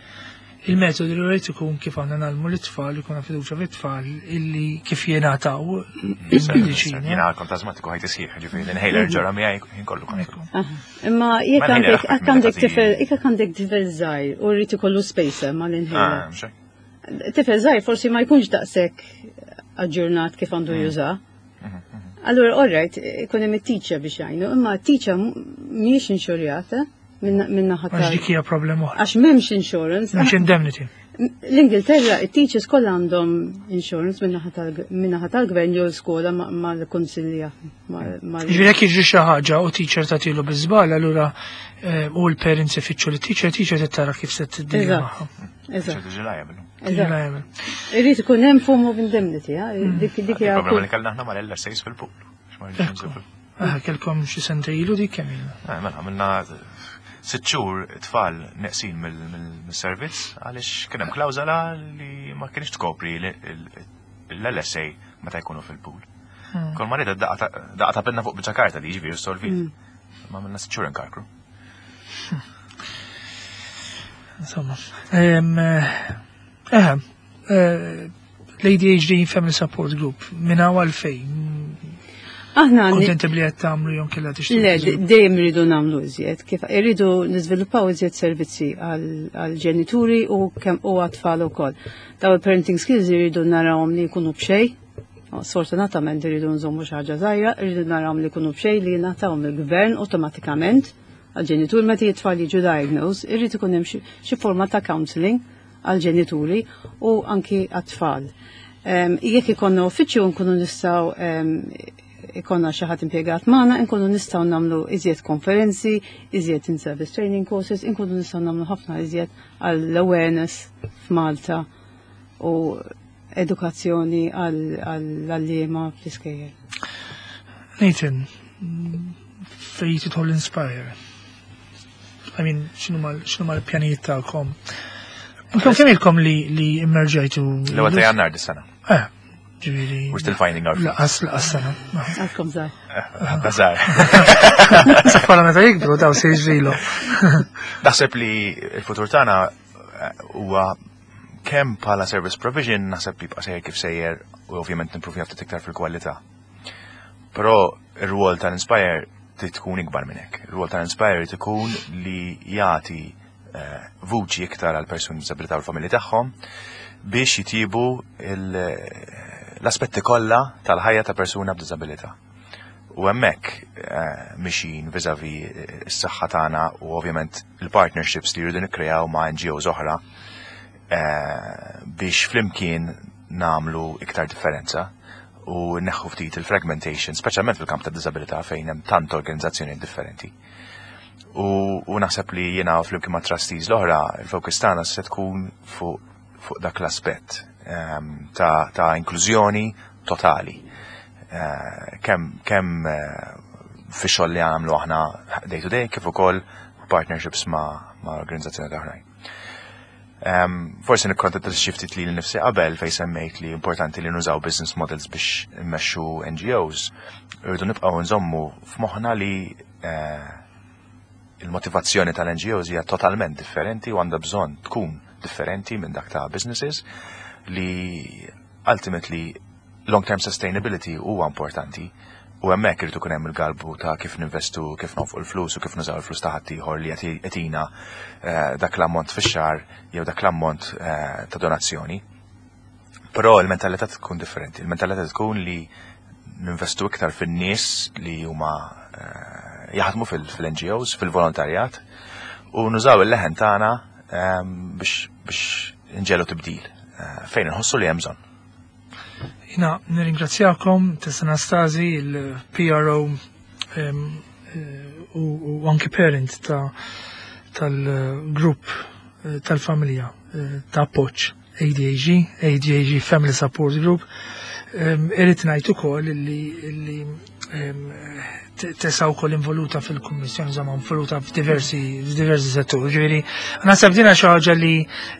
il-metodu li rrid ikun kif għandna nagħmlu lit-tfal, ikun fiduċja fit-tfal illi kif jingħataw il-mediċina. Jiena kont asmatiku ħajti sħiħ, ġifieri l-inhaler ġara miegħi ħin kollu kont. Ekku. Imma jekk Ma inhaler aħfef jekk minn għandek dak tifel, jekk għandek tifel żgħir u rrid ikollu spacer mal-inhaler. Ah, mhux hekk. Tifel żgħir forsi ma jkunx daqshekk aġġornat kif għandu juża. Allura, all right, ikun hemm it-teacher biex jgħinu, imma t-teacher mhijiex inxurjata minna ħadd. Għax dik hija problema oħra. Għax m'hemmx insurance. M'hemmx indemnity. L-Ingilterra, it-teachers kollha għandhom insurance minnaħa tal-gvern jew l-skola mal-kunsilja. Ġifieri jekk jiġri xi ħaġa u teacher tagħtilu biż-żball, allura eh, u l-parents ifittxu li teacher, teacher tara kif se tiddi magħha. Eżatt. Irrid ikun hemm form of indemnity, mm. dik dik hija. Problema li kellna aħna mal-LSAs fil-pool. Ah, kelkom xi sentej ilu dik kemm ilha? Eh, mela, għamilna sitt xhur tfal neqsin mill-servizz għaliex kien hemm klawżola li ma kienx tkopri l-LSA meta jkunu fil-pool. Hmm. Kol ma rida daqqa ta' pinna fuq biċċa karta li jiġifieri solvi. Hmm. Ma minna sitt xhur inkarkru. Hmm. Insomma. Eh, eh, l-ADHD Family Support Group, minn hawn għalfejn. Aħna kontenti li qed tagħmlu jew kellha tixtieq. Le, dejjem irridu nagħmlu iżjed, kif irridu niżviluppaw iżjed servizzi għall-ġenituri u kemm u għat-tfal ukoll. Daw il-parenting skills irridu narawhom li jkunu b'xejn. Sfortunatament irridu nżommu xi ħaġa żgħira, irridu narawhom li jkunu b'xejn li jingħataw mill-gvern awtomatikament għall-ġenitur meta it-tfal jiġu diagnosed, irrid ikun hemm xi forma ta' counseling għall-ġenituri u anki għat-tfal. Jekk ikonna uffiċċju nkunu nistgħu ikonna xi ħadd impjegat magħna, nkunu nistgħu nagħmlu iżjed konferenzi, iżjed in-service training courses, nkunu nistgħu nagħmlu ħafna iżjed għall-awareness f'Malta u edukazzjoni għall-għalliema fl-iskejjel. Nathan, fejn tidħol Inspire? I mean, x'inhu l-pjanijiet tagħkom? Intom kemm ilkom li li immerġajtu? L-ewwel ta' Jannar dis-sena. Eh, ġifieri. We're still finding our feet. Laqas laqas sena. Għadkom żgħar. Għadna żgħar. Bħala meta jikbru daw se jiġrilu. Naħseb li l-futur tagħna eh, huwa kemm bħala service provision naħseb li jibqa' sejjer kif sejjer u ovvjament nimprovja ftit iktar fil-kwalità. Però ir-rwol tal-Inspire trid tkun ikbar minn hekk. Ir-rwol tal-Inspire trid ikun li jagħti eh, vuċi iktar għal persuni b'diżabilità u l-familji tagħhom biex jitjibu l-aspetti kollha tal-ħajja ta' persuna b'diżabilità. U hemmhekk eh, mixin viżavi s-saħħa tagħna u ovvjament il-partnerships li jridu nikkreaw ma' NGOs oħra eh, biex flimkien nagħmlu iktar differenza u neħħu ftit il-fragmentation, speċjalment fil-kamp ta' disabilità fejn hemm tant organizzazzjoni differenti. U, u naħseb li jiena flimkien ma' trustees l-oħra, il-focus tagħna se tkun fuq fu dak l-aspett um, ta', ta inklużjoni totali. Uh, kemm kem, uh, fi xogħol li għamlu aħna day to day kif ukoll partnerships ma', ma organizzazzjoni oħrajn. Um, forsi nikkonta xi ftit li nifsi qabel fej semmejt li importanti li nużaw business models biex immexxu NGOs, irridu nibqgħu nżommu f'moħħna li uh, il-motivazzjoni tal-NGOs hija totalment differenti u għandha bżonn tkun differenti minn dak ta' businesses li ultimately long-term sustainability huwa importanti u hemmhekk irid ikun hemm il-galbu ta' kif ninvestu, kif nonfqu l-flus u kif nużaw il-flus ta' ħaddieħor li qed jagħtina eh, dak l-ammont fix-xahar jew dak l-ammont eh, ta' donazzjoni. Però il-mentalità tkun differenti. Il-mentalità tkun li ninvestu iktar fin-nies li huma eh, jaħdmu fil-NGOs, fil-volontarjat u nużaw il-leħen tagħna biex biex nġelu tibdil fejn inħossu li hemm bżonn. Jina nirringrazzjakom, Tessa Anastasi, il-PRO eh, u anki parent ta' tal-grupp eh, tal-familja eh, ta' appoġġ ADAG, ADAG Family Support Group. Irrid ngħid ukoll li tesa wkoll involuta fil-kummissjoni, insomma involuta f'diversi f'diversi setturi. Ġifieri, naħseb dina xi ħaġa li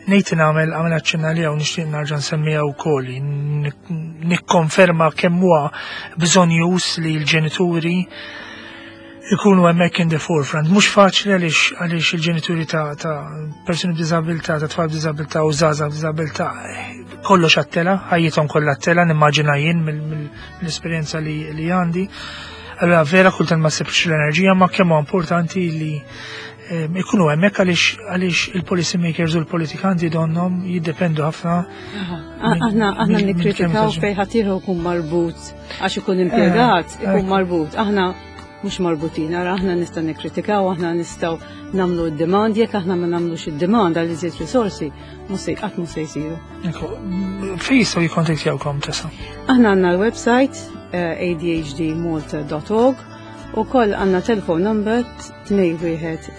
ngħid nagħmel għamel aċċenna li hawn nixtieq narġa' nsemmiha wkoll nikkonferma kemm huwa bżonjuż li l-ġenituri ikunu hemmhekk in the forefront. Mhux faċli għaliex għaliex il-ġenituri ta', ta persuni b'diżabilità, ta' tfal b'diżabilità u żgħażagħ b'diżabilità kollox għat-tela, ħajjithom kollha għat-tela, nimmaġina jien mill-esperjenza li, li għandi. Allora vera kultant ma sibx l-enerġija, ma kemm huwa importanti li ehm, ikunu hemmhekk għaliex għaliex il-policy makers u l-politikanti donhom jiddependu ħafna. Aħna aħna nikkritikaw fejn ħadd ieħor ikun marbut għax ikun impjegat, eh, ikun marbut. Aħna. mhux marbutin, ara aħna nistgħu nikkritikaw, aħna nistgħu nagħmlu d-demand, jekk aħna ma nagħmlux id-demand għal iżjed risorsi, mhux se qatt mhux se jsiru. Fejn jistgħu jikkontattjawkom tesa? Aħna għandna l-website eh, adhdmalta.org u koll għandna telefon number 212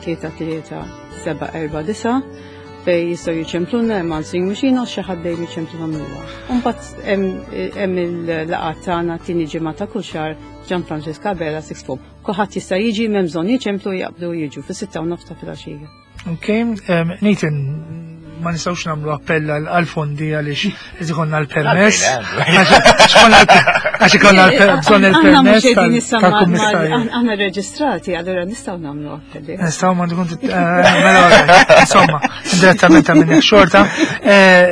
3 749 fej jistgħu jiċempluna hemm answering machine u xi ħadd dejjem jiċempluna minnha. Imbagħad hemm il-laqgħat tagħna tieni ġimgħa ta' kull xahar Ġan Franġisk Abela Sixth Form. Kulħadd jista' jiġi m'hemm bżonn jiċemplu jaqbdu jiġu fis-sitta u nofs ta' filgħaxija. Ok, Nathan, ma nistgħux nagħmlu appell għal fondi għaliex irid ikollna l-permess. Għax ikollna bżonn il-permess tal-kummissarju. Aħna reġistrati, allura nistgħu nagħmlu appelli. Nistgħu ma tkun eh, mela, insomma, direttament ta' minnek xorta. Eh,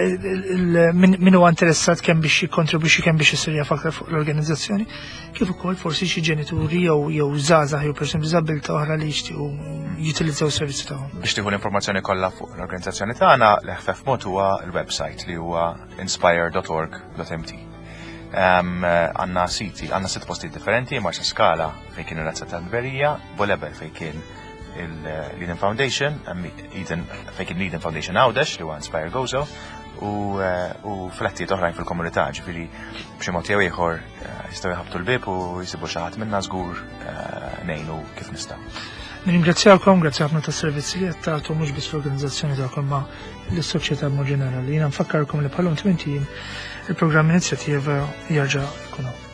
min huwa interessat kemm biex jikkontribwixxi kemm biex isir jaf aktar fuq l-organizzazzjoni, kif ukoll forsi xi ġenituri jew jew żgħażagħ jew persuni b'diżabilità oħra li jixtiequ jutilizzaw is-servizzi tagħhom. Biex tieħu l-informazzjoni kollha fuq l-organizzazzjoni tagħna, l-eħfef mod huwa l-website li huwa inspire.org.mt. Għandna siti, għandna sitt postijiet differenti, Marsa Skala fejn kien il-Razza tal-Berija, Bolebel fejn kien l-Eden Foundation, Eden, fejn kien l-Eden Foundation Għawdex li huwa Inspire Gozo, u, eh, u flettijiet oħrajn fil-komunità, ġifieri b'xi mod jew ieħor eh, jistgħu jħabtu l-bib u jsibu xi ħadd minna żgur eh, ngħinu kif nistgħu. Nirringrazzjakom, grazzi ħafna tas-servizzi li qed tagħtu mhux biss l-organizzazzjoni tagħkom ma lis-soċjetà mod ġenerali. Jiena nfakkarkom li bħalhom tmien il-programm inizjattiva jerġa' jkun hawn.